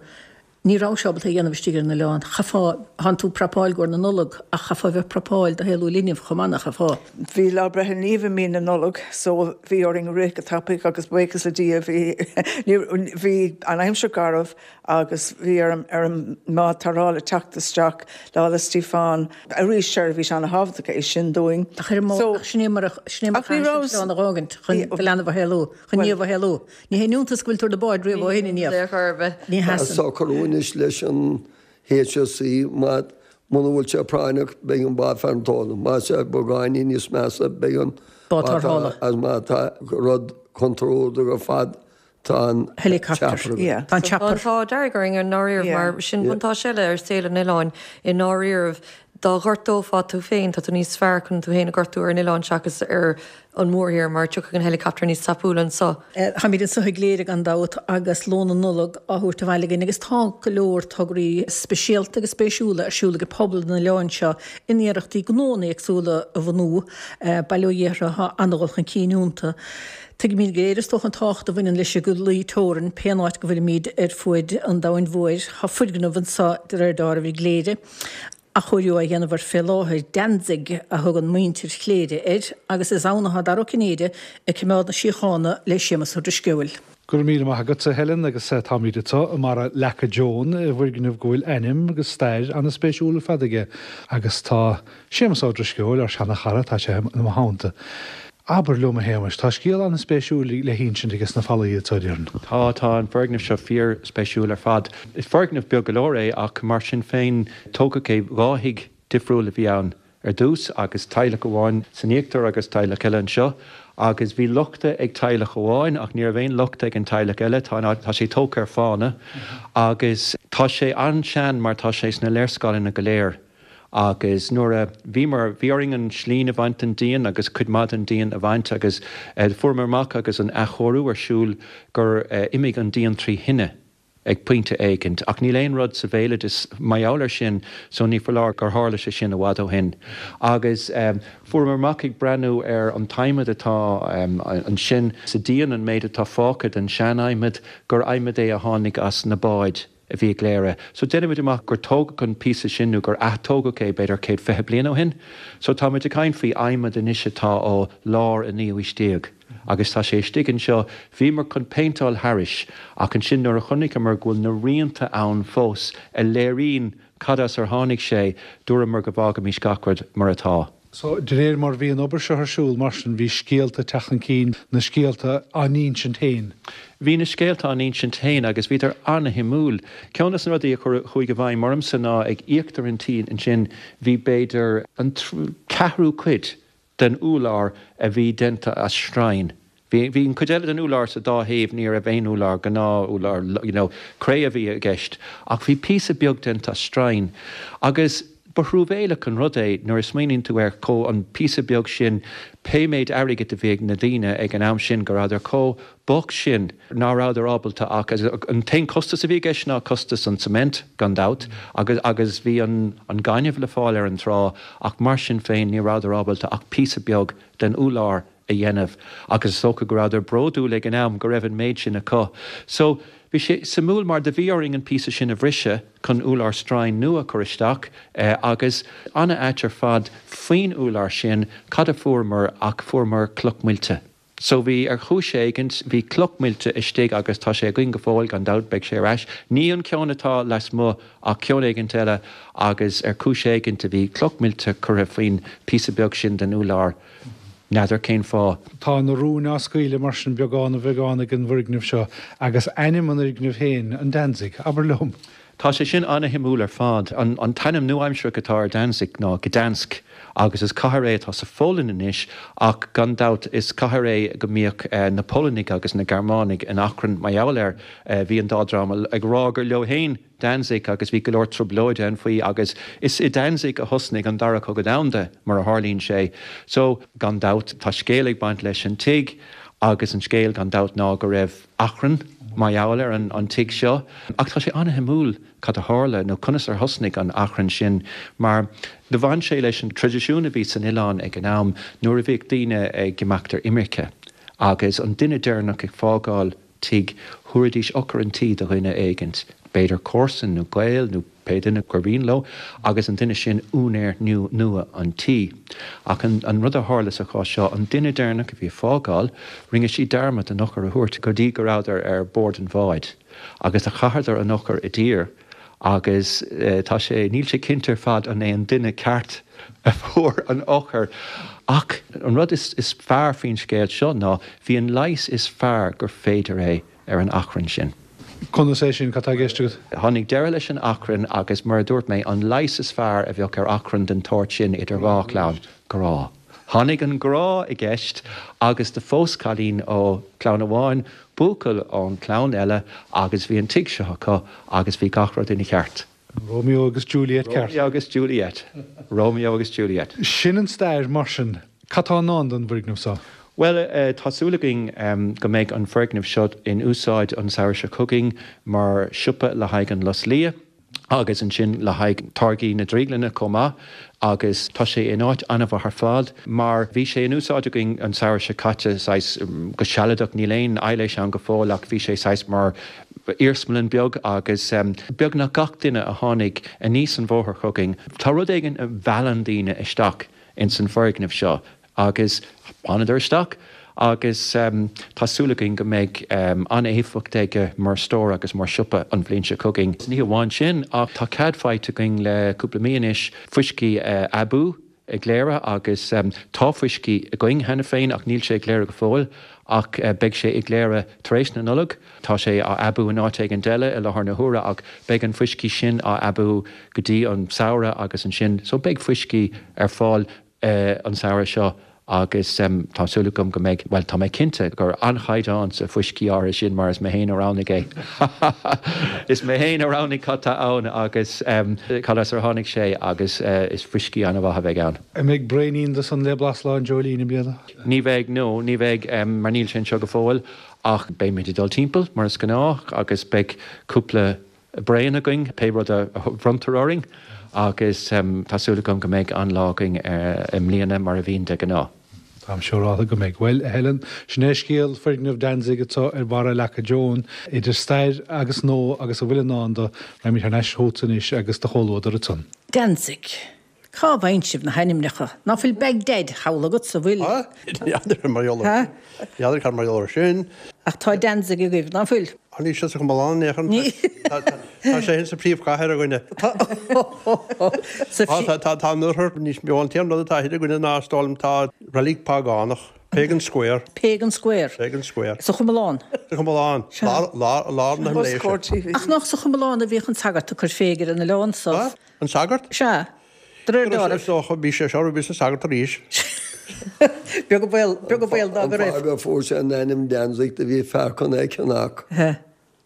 Ní rabhais ábalta é a dhéanamh istigh ar an oileán. Chaithfeá, thánn tú ag prapáil i gcomhair na Nollag ach chaithfeá a bheith ag prapáil do shaolú linbh chomh maith, nach chaithfeá? Bhí Lá Breithe Naoimh i mí na Nollag so bhí orainn rith go tapaidh agus buíochas le Dia bhí bhí an aimsir garbh agus bhí ar an ar an mbád tarrthála teacht isteach Lá 'le Stíofáin. Arís seirbhís an-thábhachtach é sin dúinn. Ach ar an mbád, ach sin é mar a sin é mar a chaithfidh sibh an oileán a dh'fhágaint chun do leanbh a shaolú, chun Niamh a shaolú. Ní haon iontas go bhfuil tú ar na báid riamh ó shin, a Niamh. Ní Tá socrú anois leis an HSE má muna bhfuil sé práinneach beidh an bád fear an tóna. Má sé beagáinín níos measa beidh an bád tarrthála. Agus má tá rud contúirteach ar fad tá an Helicopter. chopper againn. Tá an chopper. Tá an t-ádh dearg orainn i ndáiríribh mar sin buntáiste eile ar saol an oileáin i ndáiríribh. Dá ghortófá tú féin, tá tú níos fearr chun tú féin a ghortú ar an oileán seachas ar an mórthír mar tiocfaidh an helicopter níos tapúla anso. Táimid anso i gCléire gan dabht agus lón na Nollag á thabhairt abhaile againn agus tá go leor tograí speisialta agus spéisiúla ar siúl ag pobal an oileáin seo in iarrachtaí gnóanna éagsúla a bhunú. Bail ó Dhia orthu, tá an-dhul chun cinn iontu. Tuigimid go léir is dócha an tábhacht a bhaineann leis an gclaí teorann pén áit go bhfuilimid ar fuaid an domhain mhóir. Tá foirgneamh anso de réir dealraimh i gCléire. Athchóiriú á dhéanamh air fé láthair, Danzig a thugann muintir Chléire air, agus is ann atá Dara Ó Cinnéide ag coimeád na síochána le Séamus Ó Drisceoil. Go raibh míle maith agat, a Helen, agus táimid anseo i mBarra Leaca Joan, i bhfoirgneamh go bhfuil ainm agus stair an-spéisiúil ar fad aige, agus tá Séamus Ó Drisceoil, ár seana-chara, tá sé i mo theannta. Abair liom, a Shéamais, tá scéal an-spéisiúil le hinsint aige sna fallaí anseo, déarfainn. Tá, tá an foirgneamh seo fíor-spéisiúil ar fad. Is foirgneamh beag go leor é ach mar sin féin tógadh é, dhá thigh difriúil a bhí ann ar dtús agus teaghlach amháin san íochtar agus teaghlach eile anseo agus bhí lochta ag teaghlach amháin ach ní raibh aon lochta ag an teaghlach eile, tá, tá sé tógtha ar fána agus tá sé an-sean mar tá sé sna léarscáileanna go léir. Agus nuair a bhíomar, bhí orainn an tslinn a bhaint den díon agus cuid maith den díon a bhaint agus fuaireamar amach agus an athchóiriú ar siúl gur imigh an díon trí thine ag pointe éicint. Ach níl aon rud sa bhéaloideas mar gheall air sin so ní foláir gur tharla sé sin i bhfad ó shin. Agus fuaireamar amach ag breathnú ar an t-adhmad atá ansin sa díon, an méid atá fágtha den sean-adhmad, gur adhmad é a tháinig as na báid. a bhí i gCléire. So déanaimid amach gur tógadh an píosa sin nó gur ath-tógadh é b'fhéidir céad fiche bliain ó shin. So táimid ag caint faoi adhmad anois atá ó lár an naoú haois déag agus tá sé istigh anseo. Bhíomar chun péinteáil thairis ach ansin nuair a chonaiceamar go bhfuil na rianta ann fós a léiríonn cad as ar tháinig sé, dúramar go bhfágfaimis gach rud mar atá. So, de réir mar bhí an obair seo ar siúl mar sin bhí scéalta ag teacht chun cinn, na scéalta á n-insint féin. Bhí na scéalta á n-insint féin agus bhíodar an-shuimiúil. Ceann de na rudaí a chuaigh i bhfeidhm ormsa ná ag íochtar an tí ansin bhí b'fhéidir an ceathrú cuid den úlár a bhí déanta as stroighin. Bhí bhí an cuid eile den úlár sa dá thaobh ní raibh aon úlár gnáth úlár you know, cré a bhí i gceist ach bhí píosa beag déanta as stroighin. Agus ba thruamhéileach an rud é nuair a smaoiníonn tú air chomh an píosa beag sin pé méid airgid a bhí ag na daoine ag an am sin go rabhadar chomh bocht sin ná rabhadar ábalta ach an t-aon costas a bhí i gceist ná costas an cement gan dabht agus agus bhí an an gaineamh le fáil ar an trá ach mar sin féin ní rabhadar ábalta ach píosa beag den úlár a dhéanamh agus is dócha go rabhadar bródúil ag an am go raibh an méid sin acu. So bhí sé suimiúil mar do bhí orainn an píosa sin a bhriseadh chun úlár stroighin nua a chur isteach agus an-ait ar fad faoin úlár sin cad a fuaireamar ach fuaireamar cloch muilte. So bhí ar chúis éigint bhí cloch muilte istigh agus tá sé againn go fóill gan dabht beidh sé ar ais. Ní an ceann atá lasmuigh ach ceann éigint eile agus ar chúis éigint a bhí cloch muilte curtha faoin píosa beag sin den úlár. N'fheadar cén fáth. Tá na rúin á scaoileadh mar sin beagán ar bheagán ag an bhfoirgneamh seo agus ainm an fhoirgnimh féin, an Danzig, abair liom. Tá sé sin an-shuimiúil ar fad. An an t-ainm nua-aimsearach atá ar Danzig ná Gdansk agus is cathair é atá sa Pholainn anois ach gan dabht is cathair é go mbíodh na Polannaigh agus na Gearmánaigh in achrann mar gheall air. Bhí an dá dream ag rá gur leo féin Danzig agus bhí go leor trioblóide ann faoi agus is i Danzig a thosnaigh an Dara Cogadh Domhanda mar a tharlaíonn sé. So, gan dabht, tá scéal ag baint leis an tigh agus an scéal gan dabht ná go raibh achrann mar gheall ar an an tigh seo. Ach tá sé an-shuimiúil cad a tharla nó conas ar thosnaigh an achrann sin mar do bhain sé leis an traidisiún a bhí san oileán ag an am nuair a bhíodh daoine ag imeacht ar imirce agus an duine deireanach ag fágáil tigh, thabharfaidís eochair an tí do dhuine éigint, b'fhéidir comharsan nó gaol nó pé duine gur mhian leo, agus an duine sin úinéir nua an tí. Ach an rud a tharla sa chás seo, an duine deireanach a bhí ag fágáil, rinne sí dearmad an eochair a thabhairt go dtí go rabhadar ar bord an bháid, agus do chaitheadar an eochair i dtír. Agus tá sé, níl sé cinnte ar fad an é an duine ceart a fuair an eochair. Ach an rud is fearr faoin scéal seo ná bhí an leigheas is fearr gur féidir é ar an achrann sin. Conas é sin? Cad tá i gceist agat? Tháinig deireadh leis an achrann agus mar a dúirt mé, an leigheas is fearr a bheadh ar achrann den tsórt sin idir dhá chlann, grá. Tháinig an grá i gceist agus do phós cailín ó chlann amháin buachaill ón chlann eile agus bhí an tigh seo acu agus bhí gach rud ina cheart. Romeo agus Juliet ceart. Romeo agus Juliet. Romeo agus Juliet. Sin an stair mar sin. Cad tá i ndán don bhfoirgneamh seo? Bhuel, tá súil againn go mbeidh an foirgneamh seo in úsáid an samhradh seo chugainn mar siopa le haghaidh an Lus Liath. agus ansin le haghaidh táirgí na drioglainne chomh maith agus tá sé in áit an-mhaith ar fad mar bhí sé in úsáid againn an samhradh seo caite saghas go sealadach, níl aon aibhléis ann go fóill ach bhí sé saghas mar iarsmalann beag agus beagnach gach duine a tháinig aníos an bhóthar chugainn, tá rud éigin a mheallann daoine isteach ins an foirgneamh seo. Agus thánadar isteach agus tá súil againn go mbeidh an-éifeacht aige mar stór agus mar siopa an bhliain seo chugainn. Ní hamháin sin ach tá cead faighte againn le cúpla mí anois fuiscí a aibiú i gCléire agus tá fuiscí againn cheana féin ach níl sé i gCléire go fóill ach beidh sé i gCléire tar éis na Nollag. Tá sé á aibiú in áit éigin eile i láthair na huaire ach beidh an fuiscí sin á aibiú go dtí an samhradh agus ansin so beidh fuiscí ar fáil an samhradh seo agus tá súil agam go mbeidh, bhuel, tá mé cinnte gur an-chaighdeán sa fuiscí áirithe sin mar is mé féin a roghnaigh é. Is mé féin a roghnaigh cad tá ann agus cad as ar tháinig sé agus is fuiscí an-mhaith a bheidh ann. An mbeidh braoinín de san le blas Lá an Dreoilín i mbliana? Ní bheidh, no, ní bheidh mar níl sé anseo go fóill ach beimid ag dul timpeall mar is gnách agus beidh cúpla braon againn, pé rud a bhronntar orainn, agus tá súil agam go mbeidh an-lá againn i mbliana mar a bhíonn de ghnáth. Táim siúráltha go mbeidh. Bhuel, a Helen, sin é scéal foirgneamh Danzig atá ar bharra Leaca Joan, idir stair agus nua agus a bhfuil i ndán do. Raghaimid thar n-ais chugatsa anois agus do chomhluadar ansan. Danzig. Cá bhfaigheann sibh na hainmneacha? Ná fuil Baghdad thall agatsa, bhfuil? N'fheadar mar gheall air. N'fheadar cad mar gheall air sin. Ach tá Danzig agaibh, ná fuil? Á níl sé sa Chomalán in aon chor. Tá sé sa phríomhchathair againne. Tá tá an oirthear níos mó an t-aon rud atá thoir againne ná is dóigh liom tá reilig págánach. Pagan Square. Pagan Square. Pagan Square. Sa Chomalán. Sa Chomalán. Lár lár lár na Himiléise. Ach nach sa Chomalán a bhíodh an sagart ag cur féig ar an oileán so? An sagart? Sea. De réir dealraimh. Is dócha, bhí sé seo, bhí sa sagart arís. Beag an baol, beag an baol dá go raibh. An fáth go fuair sé an ainm Danzig do bhí fear chun é cheannach.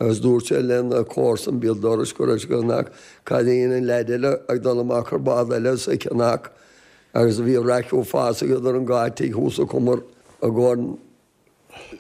Agus dúirt sé lena chomharsan béal dorais go raibh sé go cheannach cad é an leaid eile ag dul amach ar bád eile sa cheannach agus a bhí raic uafásach idir an dhá tigh thuas sa chumar i gcomhair an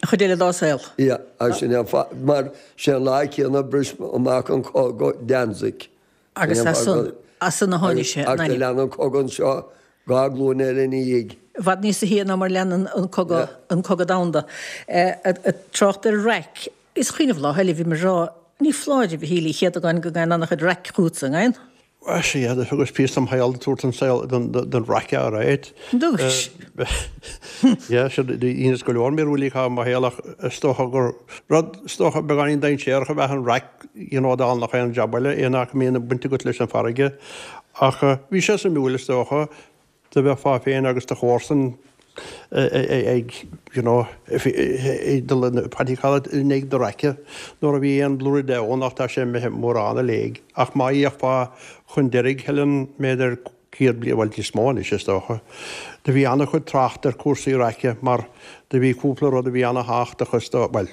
chuid eile dá saol. Yeah, agus sin é an fáth, mar sé an lá céanna a bhris amach an cogadh Danzig. Agus as san, as san a tháinig sé, an ainm. Ach lean an cogadh anseo dhá ghlúin eile ina dhiaidh. I bhfad níos sia ná mar lean an cogadh, an cogadh domhanda. Ag trácht ar raic, is cuimhin liom lá eile bhí mé ag rá, ní foláir, a Mhichíl Uí Chéadagáin go dtagann an-chuid raic chugatsa, an dtagann? Bhuel, sea, do thugas píosa dem shaol tabhairt don saol, don raic alright. Dúis. Yeah, sure, dheineas go leor míorúiltí i mo shaol ach is dócha gur rud, is dócha, beagáinín dainséarach ab ea an raic, you know, dála nach aon jab eile, aon áit a mbíonn baint agat leis an bhfarraige. Ach bhí sé suimiúil, is dócha, do bheifeá féin agus do chomharsan ag, you know, ag dul in what you call it, in aghaidh na raice nuair a bhí aon blúire de ann ach tá sé imithe mórán i léig. Ach má fhéachfá chun deiridh, Helen, b'fhéidir céad bliain, bhuel níos mó anois is dócha, do bhí an-chuid trácht ar cúrsaí raice mar do bhí cúpla rud a bhí ana-thábhachtach is dóigh, bhuel,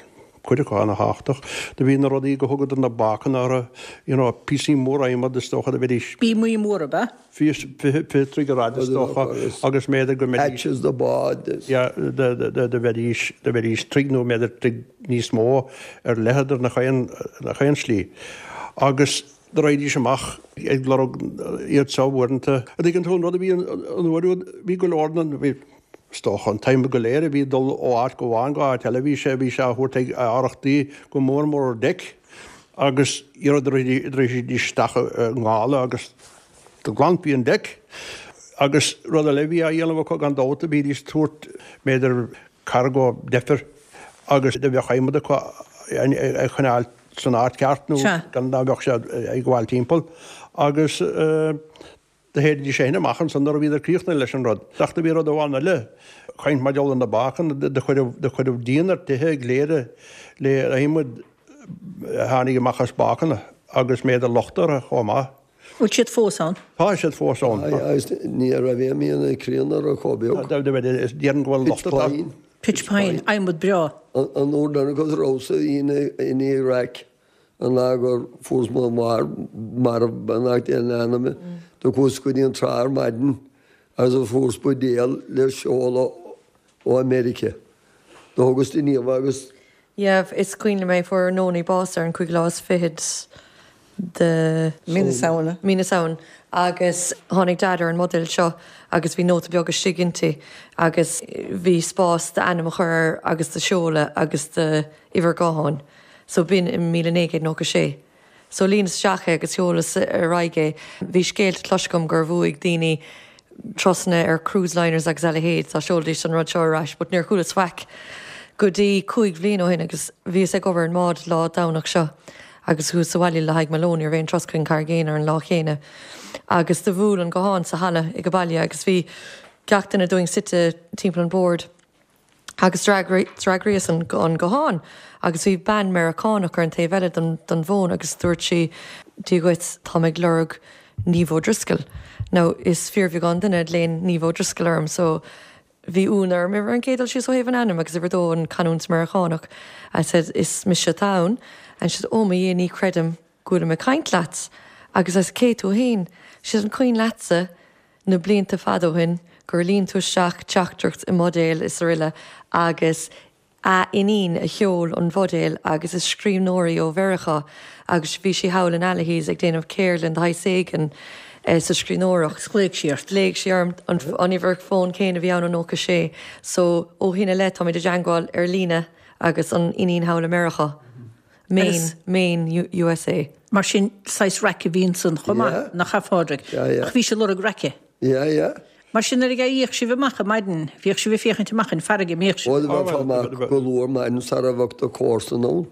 cuid acu ana-thábhachtach. Do bhí na rudaí go thugadar na bácanna orthu, you know, píosaí móra adhmad is dócha do bheidís. Bíomaí móra, ab ea? Fiche, fiche troigh ar fhad is dócha agus mb'fhéidir go mbeidís. Hatches do bád is. Yeah, do bheidís, do bheidís troigh nó mb'fhéidir troigh níos mó ar leithead ar nach aon, nach aon slí. Agus do raghaidís amach ag lorg iad seo uaireanta. An dtuigeann tú an rud a bhí an uair úd, bhí go leor den, bhí, Is dócha an t-adhmad go léir a bhí ag dul ó áit go amháin go áit eile, bhí sé, bhí sé á thabhairt ag arachtaí go mór mór ar deic agus iarraidh raghaidís isteach i ngála agus do ghlanfaí an deic. Agus rud eile a bhí á dhéanamh acu gan dabht, bhídís ag tabhairt b'fhéidir cargo deifir agus do bheadh adhmad acu a choinneáil san áit ceart nó gan dá mbeadh sé ag gabháil timpeall agus Do shéididís é sin amach ansan nuair a bhíodar críochnaithe leis an rud. Ach do bhí rud amháin eile, caint mar gheall ar na bácanna, do cuireadh díon ar tithe i gCléire le adhmad a tháinig amach as bácanna agus mb'fhéidir locht orthu chomh maith. Bhfuil siad fós ann? Tá siad fós ann. Agus ní raibh aon mhian críonna orthu chomh beag. Déarfainn go bhfuil locht Pitch pine. Pitch pine, adhmad breá. An uair deireanach a rabhas-sa i ndiaidh raic An lá gur fuaras mo mháthair marbh beannacht Dé lena anam, do chuas go dtí an trá ar maidin agus do fuaras buidéal le seoladh ó America. Do thugas do Niamh agus. Yeah, is cuimhin liom é, fuair Nonie bás ar an cúigiú lá is fichead de. Mí na Samhna. Mí na Samhna. Agus tháinig Dad ar an mbuidéal seo agus bhí nóta beag istigh inti agus bhí spás d'ainm a chur air agus do sheoladh agus d'uimhir gutháin. So b'in i míle naoi gcéad nócha sé. So líonas isteach é agus sheolas ar aghaidh é. Bhí scéalta cloiste agam gur bhuaigh daoine turasanna ar cruise liners agus a leithéid dá seolfaidís an rud seo ar ais but níor chualas faic go dtí cúig bhliain ó shin agus bhíos ag obair ar an mbád lá Domhnach seo agus chuas abhaile le haghaidh mo lón, ní raibh aon turas chuig an Charraig Aonair an lá chéanna agus do bhuail an guthán sa halla ag an baile agus bhí gach duine dúinn suite timpeall an bhoird. Agus d'fhreagraíos an guthán agus bhí bean Meiriceánach ar an taobh eile den bhfón agus dúirt sí, Dia dhuit, táim ag lorg Niamh O'Driscoll. Now is fíorbheagán duine a ghlaonn Niamh O'Driscoll orm so bhí ionadh orm ar an gcéad dul síos ó thaobh an ainm agus uimhir a dó an canúint Meiriceánach. I said, is mise atá ann. And she said, oh mo Dhia ní chreidim go bhfuilim ag caint leat. Agus I said, cé tú fhéin? She said, an cuimhin leatsa na blianta fada ó shin gur líon tú isteach teachtaireacht i mbuidéal is aroile agus a iníon a sheol an bhuidéal agus is scríbhneoir í ó Mheiriceá agus bhí sí thall in Allihies ag déanamh ceardlann de shaghas éigin sa scríbhneoireacht. Agus ghlaoigh sí ort. Ghlaoigh sí orm, an uimhir fóin céanna a bhí ann i nócha sé so ó shin i leith táimid i dteangmháil ar líne agus an iníon thall i Meiriceá. Maine, Maine, USA. Mar sin, saghas raic a bhí ansan chomh maith, nach ea, a Phádraig? Ach bhí sí ag lorg raice. Yeah, yeah. Mar sin nuair a d'éiríodh sibh amach ar maidin, bhíodh sibh ag féachaint amach an farraige, an mbíodh sibh? Ó, bheifeá amach go luath ar maidin sara bheadh do chomharsain ann.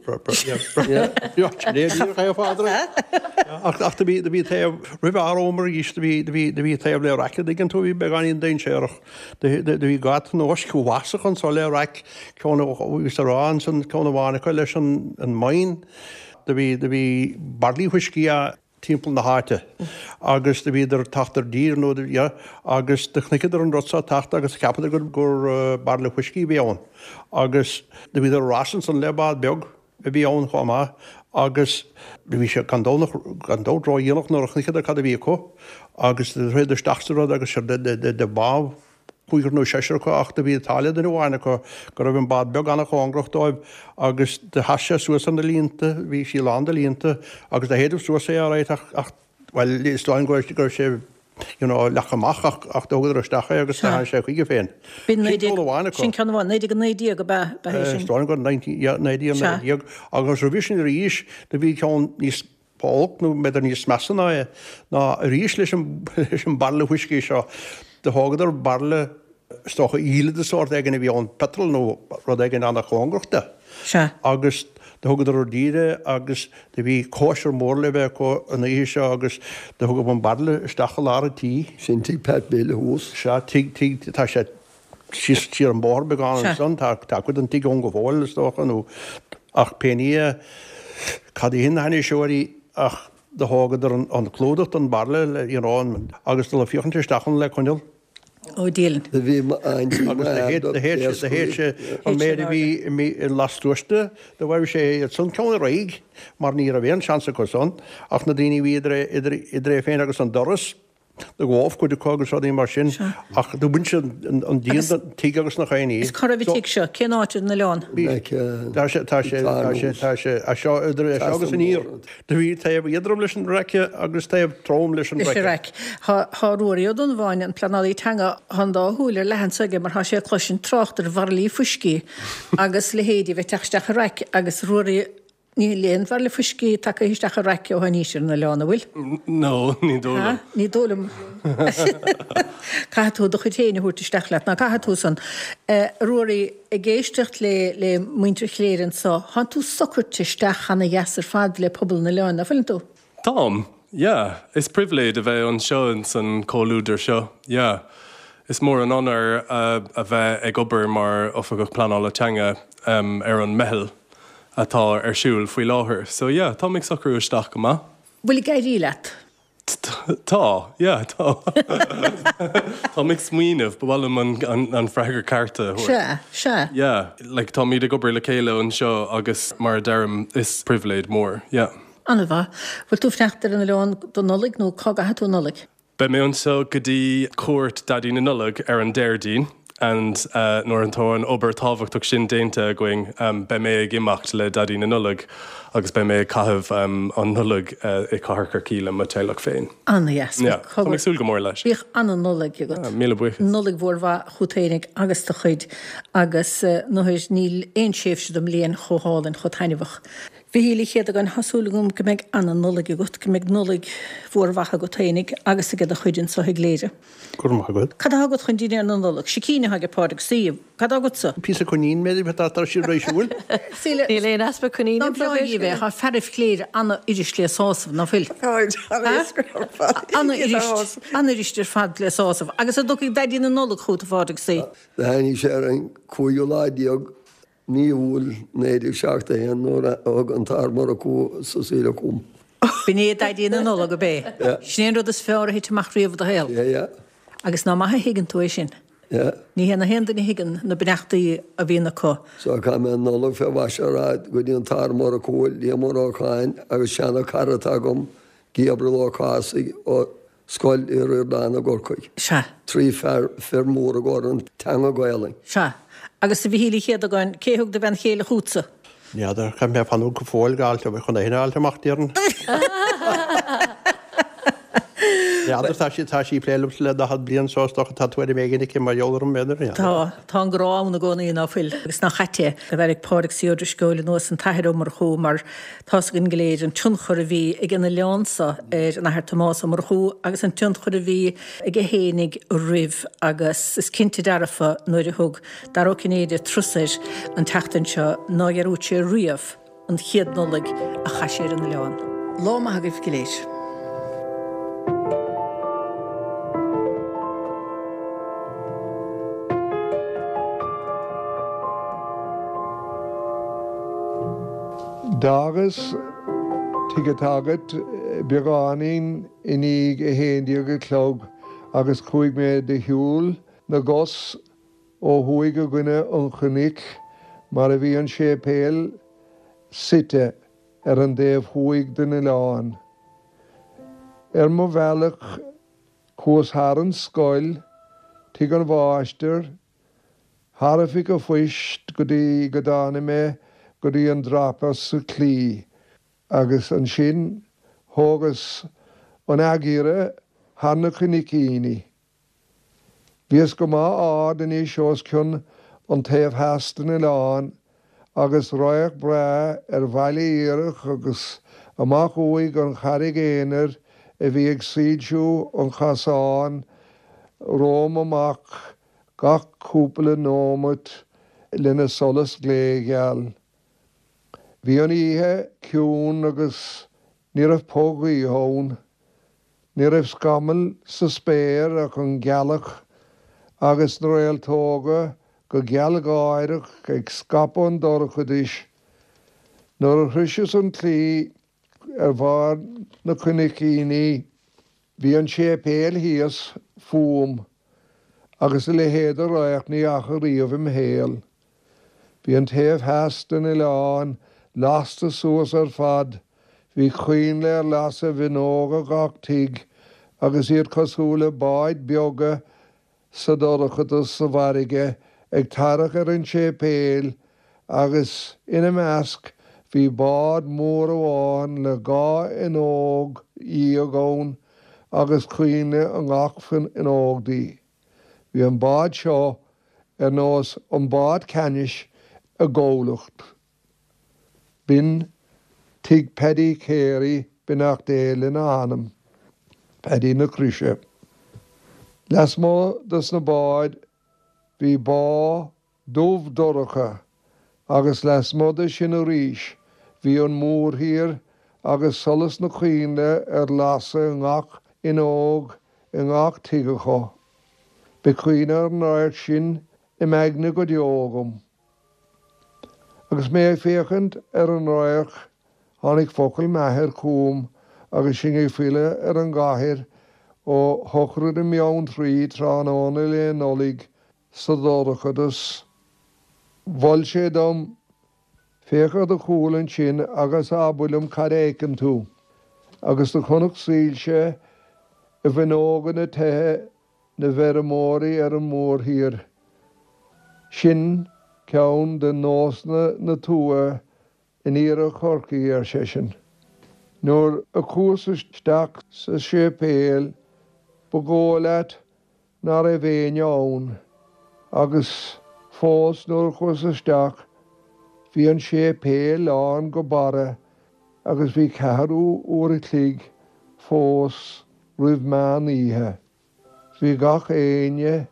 Ach ach do bhí do bhí taobh roimh ár am arís do bhí do bhí do bhí taobh le raic an dtuigeann tú bhí beagáinín dainséarach. Do do bhí dhá tionóisc uafásach anso le raic ceann bhí sa rá ansan ceann amháin acu leis an an mine. Do bhí do bhí bairillí fuiscí a timpeall na háite agus do bhíodar ag teacht ar dtír nó yeah, agus do chonaiceadar an rud seo ag teacht agus cheapadar gur gur bairille fuiscí a bhí ann agus do bhíodar ar ais ansan le bád beag a bhí ann chomh maith agus do bhí sé gan dabht gan dabht ródhéanach nuair a chonaiceadar cad a bhí acu agus do rith isteach sa rud agus do bádh cúigear nó seisear acu ach do bhí an t-ádh le duine amháin acu go raibh an bád beag an-chóngarach dóibh agus do sheas sé suas ar na líonta, bhí sí lán de líonta agus do shéideadh suas é alright ach, ach bhuel is dóigh go raibh sé you know leagtha amach ach, ach do thugadar isteach é agus do tháinig sé chuige féin. B'in Sin ceann amháin acu. Sin ceann amháin, naoi déag a naoi déag ab ea, ab ea é sin? Is dóigh gur nineteen, yeah, naoi déag a naoi déag agus roimhe sin arís do bhí ceann níos olc nó b'fhéidir níos measa ná é ná arís leis an leis an bairille fuiscí seo. Do thógadar bairille is dócha íle de sórt éigin a bhí ann, petrol nó rud éigin an-chóngarach de. Sea. Agus do thugadar ar dtír é agus do bhí cóisir mór le bheith acu an oíche seo agus do thugadh an bairille isteach i lár an tí. Sin tigh Pat Bill thuas. Sea, tigh, tigh, tá sé síos siar an bóthar beagán ansan, tá, tá cuid den tigh ann go fóill is dócha nó ach pé ní é cad é na hainniseoirí ach do thógadar an clúdach den bhairille le you know an agus dul ag féachaint isteach ann le coinneal. Ó Dialann. Do bhí m'aintín Agus do shéid do shéid sé do shéid sé an méid a bhí i lastuas de do mhairbh sé iad san ceann ar aghaidh mar ní raibh aon seans acu san ach na daoine a bhí idir é idir idir é féin agus an doras Do ghabh cuid acu agus rudaí mar sin ach do bhain siad an díon den tigh agus nach aon ní. Is cá raibh an tigh seo? Cén áit ar an oileán? Tá sé, tá sé, tá sé, tá sé, as seo, idir é seo agus aniar. Do bhí taobh éadrom leis an raic agus taobh trom leis an Leis an raic. Tá, tá Ruairí Ó Donnabháin, an pleanálaí teanga, tá an dá shúil ar leathadh anso aige mar tá sé ag cloisint trácht ar bhairillí fuiscí agus leithéidí a bheith ag teacht isteach i raic agus Ruairí, Níl aon bhairille fuiscí tagtha isteach i raic ó tháinís ar an oileán, an bhfuil? No, ní dóigh liom. Ní dóigh liom. Caithfidh tú do chuid féin a thabhairt isteach leat, ná caithfidh tú san. A Ruairí, ag éisteacht le le muintir Chléire anso, thánn tú socraite isteach ana dheas ar fad le pobal an oileáin, ná fuileann tú? Táim, yeah. Is pribhléid a bheith anseo ins an comhluadar seo, yeah. Is mór an onóir a bheith ag obair mar Oifigeach Pleanála Teanga ar an meitheal atá ar siúl faoi láthair. So yeah, táim ag socrú isteach go maith. Bhfuil ag éirí leat? Tá, yeah, tá. Táim ag smaoineamh, ba mhaith liom an, an freagra ceart a thabhairt. Sea, sea. Yeah, like táimid ag obair le chéile anseo agus mar a deirim, is pribhléid mór, yeah. An-mhaith. Bhfuil tú ag fanacht ar an oileán don Nollaig nó cá gcaithfidh tú an Nollaig? Beidh mé anseo go dtí cuairt Daidí na Nollag ar an Déardaoin and nuair atá an obair tábhachtach sin déanta againn beidh mé ag imeacht le Daidí na Nollag agus beidh mé ag caitheamh an Nollaig i Cathair Chorcaí le mo teaghlach féin. An-dheas. Yeah, tá mé ag súil go mór leis. Bíodh an-Nollaig agat. Míle buíochas. Nollaig mhór mhaith chút fhéinig agus do chuid agus nuair níl aon tréimhse den mbliain chomh hálainn, chomh taitneamhach. Mhichíl Uí Chéadagáin, tá súil agam go mbeidh an-Nollaig agat, go mbeidh Nollaig mhór mhaith agat fhéinig agus ag do chuid anso i gCléire. Go raibh maith agat. Cad atá agat chun dinnéar na Nollag? Sicín atá ag Pádraig Sea. Cad atá agatsa? Píosa coinín, b'fhéidir, tá tá siad réisiúil. Síle. Níl aon easpa coinín Ná anseo breá dhíobh é, tá fearaibh Chléire an-fhuirist le sásamh, ná fuil? Táid, an-éasca ar fad. An-fhuirist, an-fhuirist ar fad le sásamh. Agus an dtiocfaidh Daidí na Nollag chút, a Phádraig Sea? Do tháinig sé ar an cúigiú lá déag Mí Iúil naoi déag seachtó a haon nuair a thug an tAthair Murchú Cecilia chugam. B'in é Daidí na Nollag, ab é? Sin é an rud is fearr a thit amach riamh i do shaol? Yeah, yeah. Agus ná maith a thuigeann tú é sin. Yeah. Ní hé na haon duine a thuigeann na beannachtaí a bhíonn acu. So chaith mé an Nollaig fé mhaise ar fad go dtí an tAthair Murchú, Liam Ó Lorcáin agus seana cara atá agam, Gabriel Ó Cathasaigh ó Scoil Uí Ríordáin i gCorcaigh. Sea. Trí fear, fir mór i gcomhair an teanga Gaelainn. Sea. Agus a Mhichíl Uí Chéadagáin, cé thug do bhean chéile chútsa? N'fheadar, caithfidh mé fanúint go fóill go fháilt, chun é shin a fháilt amach, déarfainn. N'fheadar tá sí tá sí ag plé liomsa le daichead bliain so is dócha tá tuairim éigin aici mar gheall orm b'fhéidir. Tá, tá an grá ann i gcónaí ná fuil agus nach ait é a bheith ag Pádraig C. Ó Drisceoil anuas an tAthair Ó Murchú mar tá's againn go léir an tionchar a bhí ag an oileán so ar an Athair Tomás Ó Murchú agus an tionchar a bhí aige fhéinig roimh agus is cinnte dearfa nuair a thug Dara Ó Cinnéide turas air an tseachtain seo nár dhearúd sé riamh an chéad Nollaig a chaith sé ar an oileán. Lá maith agaibh go léir. D'fhágas tigh an tSagairt beagáinín i ndiaidh a haon déag a chlog agus chuaigh mé de shiúl na gcos ó thuaidh i gcoinne an chnoic mar a bhí an séipéal suite ar an dtaobh thuaidh den oileán. Ar mo bhealach chuas thar an scoil, tigh an mháistir, thar oifig an phoist go dtí go dtáinig mé go dtí an dreapadh sa chlaí agus ansin thógas an athghiorra thar na cnoicíní. Bhíos go maith ard anois os cionn an taobh theas den oileán agus radharc breá ar Bhaile Iarthach agus amach uaidh an Charraig Aonair a bhí ag soilsiú an chasáin romham amach gach cúpla nóimeat lena solas glégheal. Bhí an oíche ciúin agus ní raibh puth gaoithe ann. Ní raibh scamall sa spéir ach an ghealach agus na réaltóga go gealgháireach ag scaipeadh an dorchadais. Nuair a shroiseas an claí ar bharr na cnoicíní bhí an séipéal thíos fúm agus a leithéid de radharc ní fhaca riamh im shaol. Bhí an taobh theas den oileán lasta suas ar fad, bhí coinnle ar lasadh i bhfuinneoga gach tigh agus iad cosúil le báid beaga sa dorchadas sa bhfarraige ag tarrac ar an séipéal agus ina measc bhí bád mór amháin le dhá fhuinneog dhéag ann agus coinnle i ngach fuinneog di. Bhí an bád seo ar nós an bád ceannais i gcomhlacht. B'in tigh Paddy Carey beannacht Dé lena anam, Paddy na Croise. Lasmuigh dos na báid bhí bá dubh dorcha agus lasmuigh de sin arís bhí an mórthír agus solas na coinnle ar lasadh i ngach fhuinneog i ngach tigh acu. Beidh cuimhne ar an radharc sin im aigne go deo agam. Agus mé ag féachaint ar an radharc tháinig focail m'athar chugam agus sinn ag filleadh ar an gcathair ó shochraid i mBeanntraí tráthnóna Lae Nollag sa dorchadas. Mhol sé dom, Féach ar do chúl ansin agus abair liom cad a fheiceann tú. Agus do chonac soilse i bhfuinneoga na dtithe na bhfeirmeoirí ar an mórthír. Sin ceann de nósanna na tuaithe in iarthar Chorcaí, ar seisean. Nuair a chuas isteach sa séipéal ba dhóigh leat ná raibh éinne ann, agus fós nuair a chuas isteach bhí an séipéal lán go barra agus bhí ceathrú uair a chloig fós roimh meán oíche. Bhí gach éinne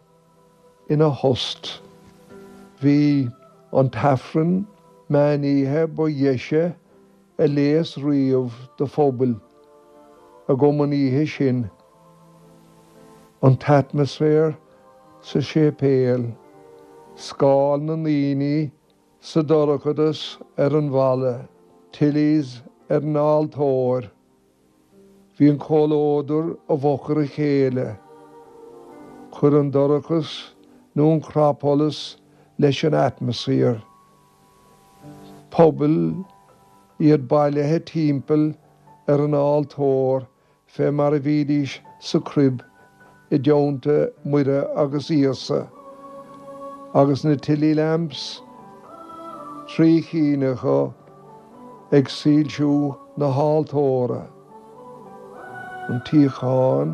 ina thost. Bhí an t-aifreann meán oíche ba dheise a léas riamh do phobal agam an oíche sin. An t-atmaisféar sa séipéal, scáil na ndaoine sa dorchadas ar an bhalla, tillies ar an altóir. Bhí an comhluadar i bhfochair a chéile. Chuir an dorchas nó an cnapsholas leis an atmaisféar. Pobal, iad bailithe timpeall ar an altóir fé mar a bhídís sa crib i dteannta Muire agus Íosa, agus na tilly lamps, trí cinn acu, ag soilsiú na haltóra. An tsíocháin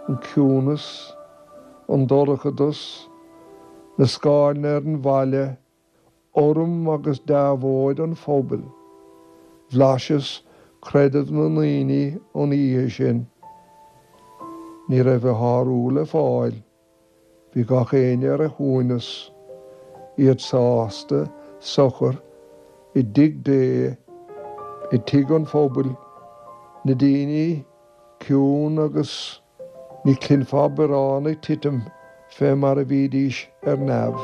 an ciúnas, an dorchadas, na scáileanna ar an bhaile, urraim agus deabhóid an phobail. Bhlaiseas creideamh na ndaoine an oíche sin. Ní raibh a shárú le fáil. Bhí gach éinne ar a shuaimhneas, iad sásta, socair, i dtigh Dé, i dtigh an phobail, na daoine ciúin agus ní chluinfeá biorán ag titim fé mar a bhídís ar neamh.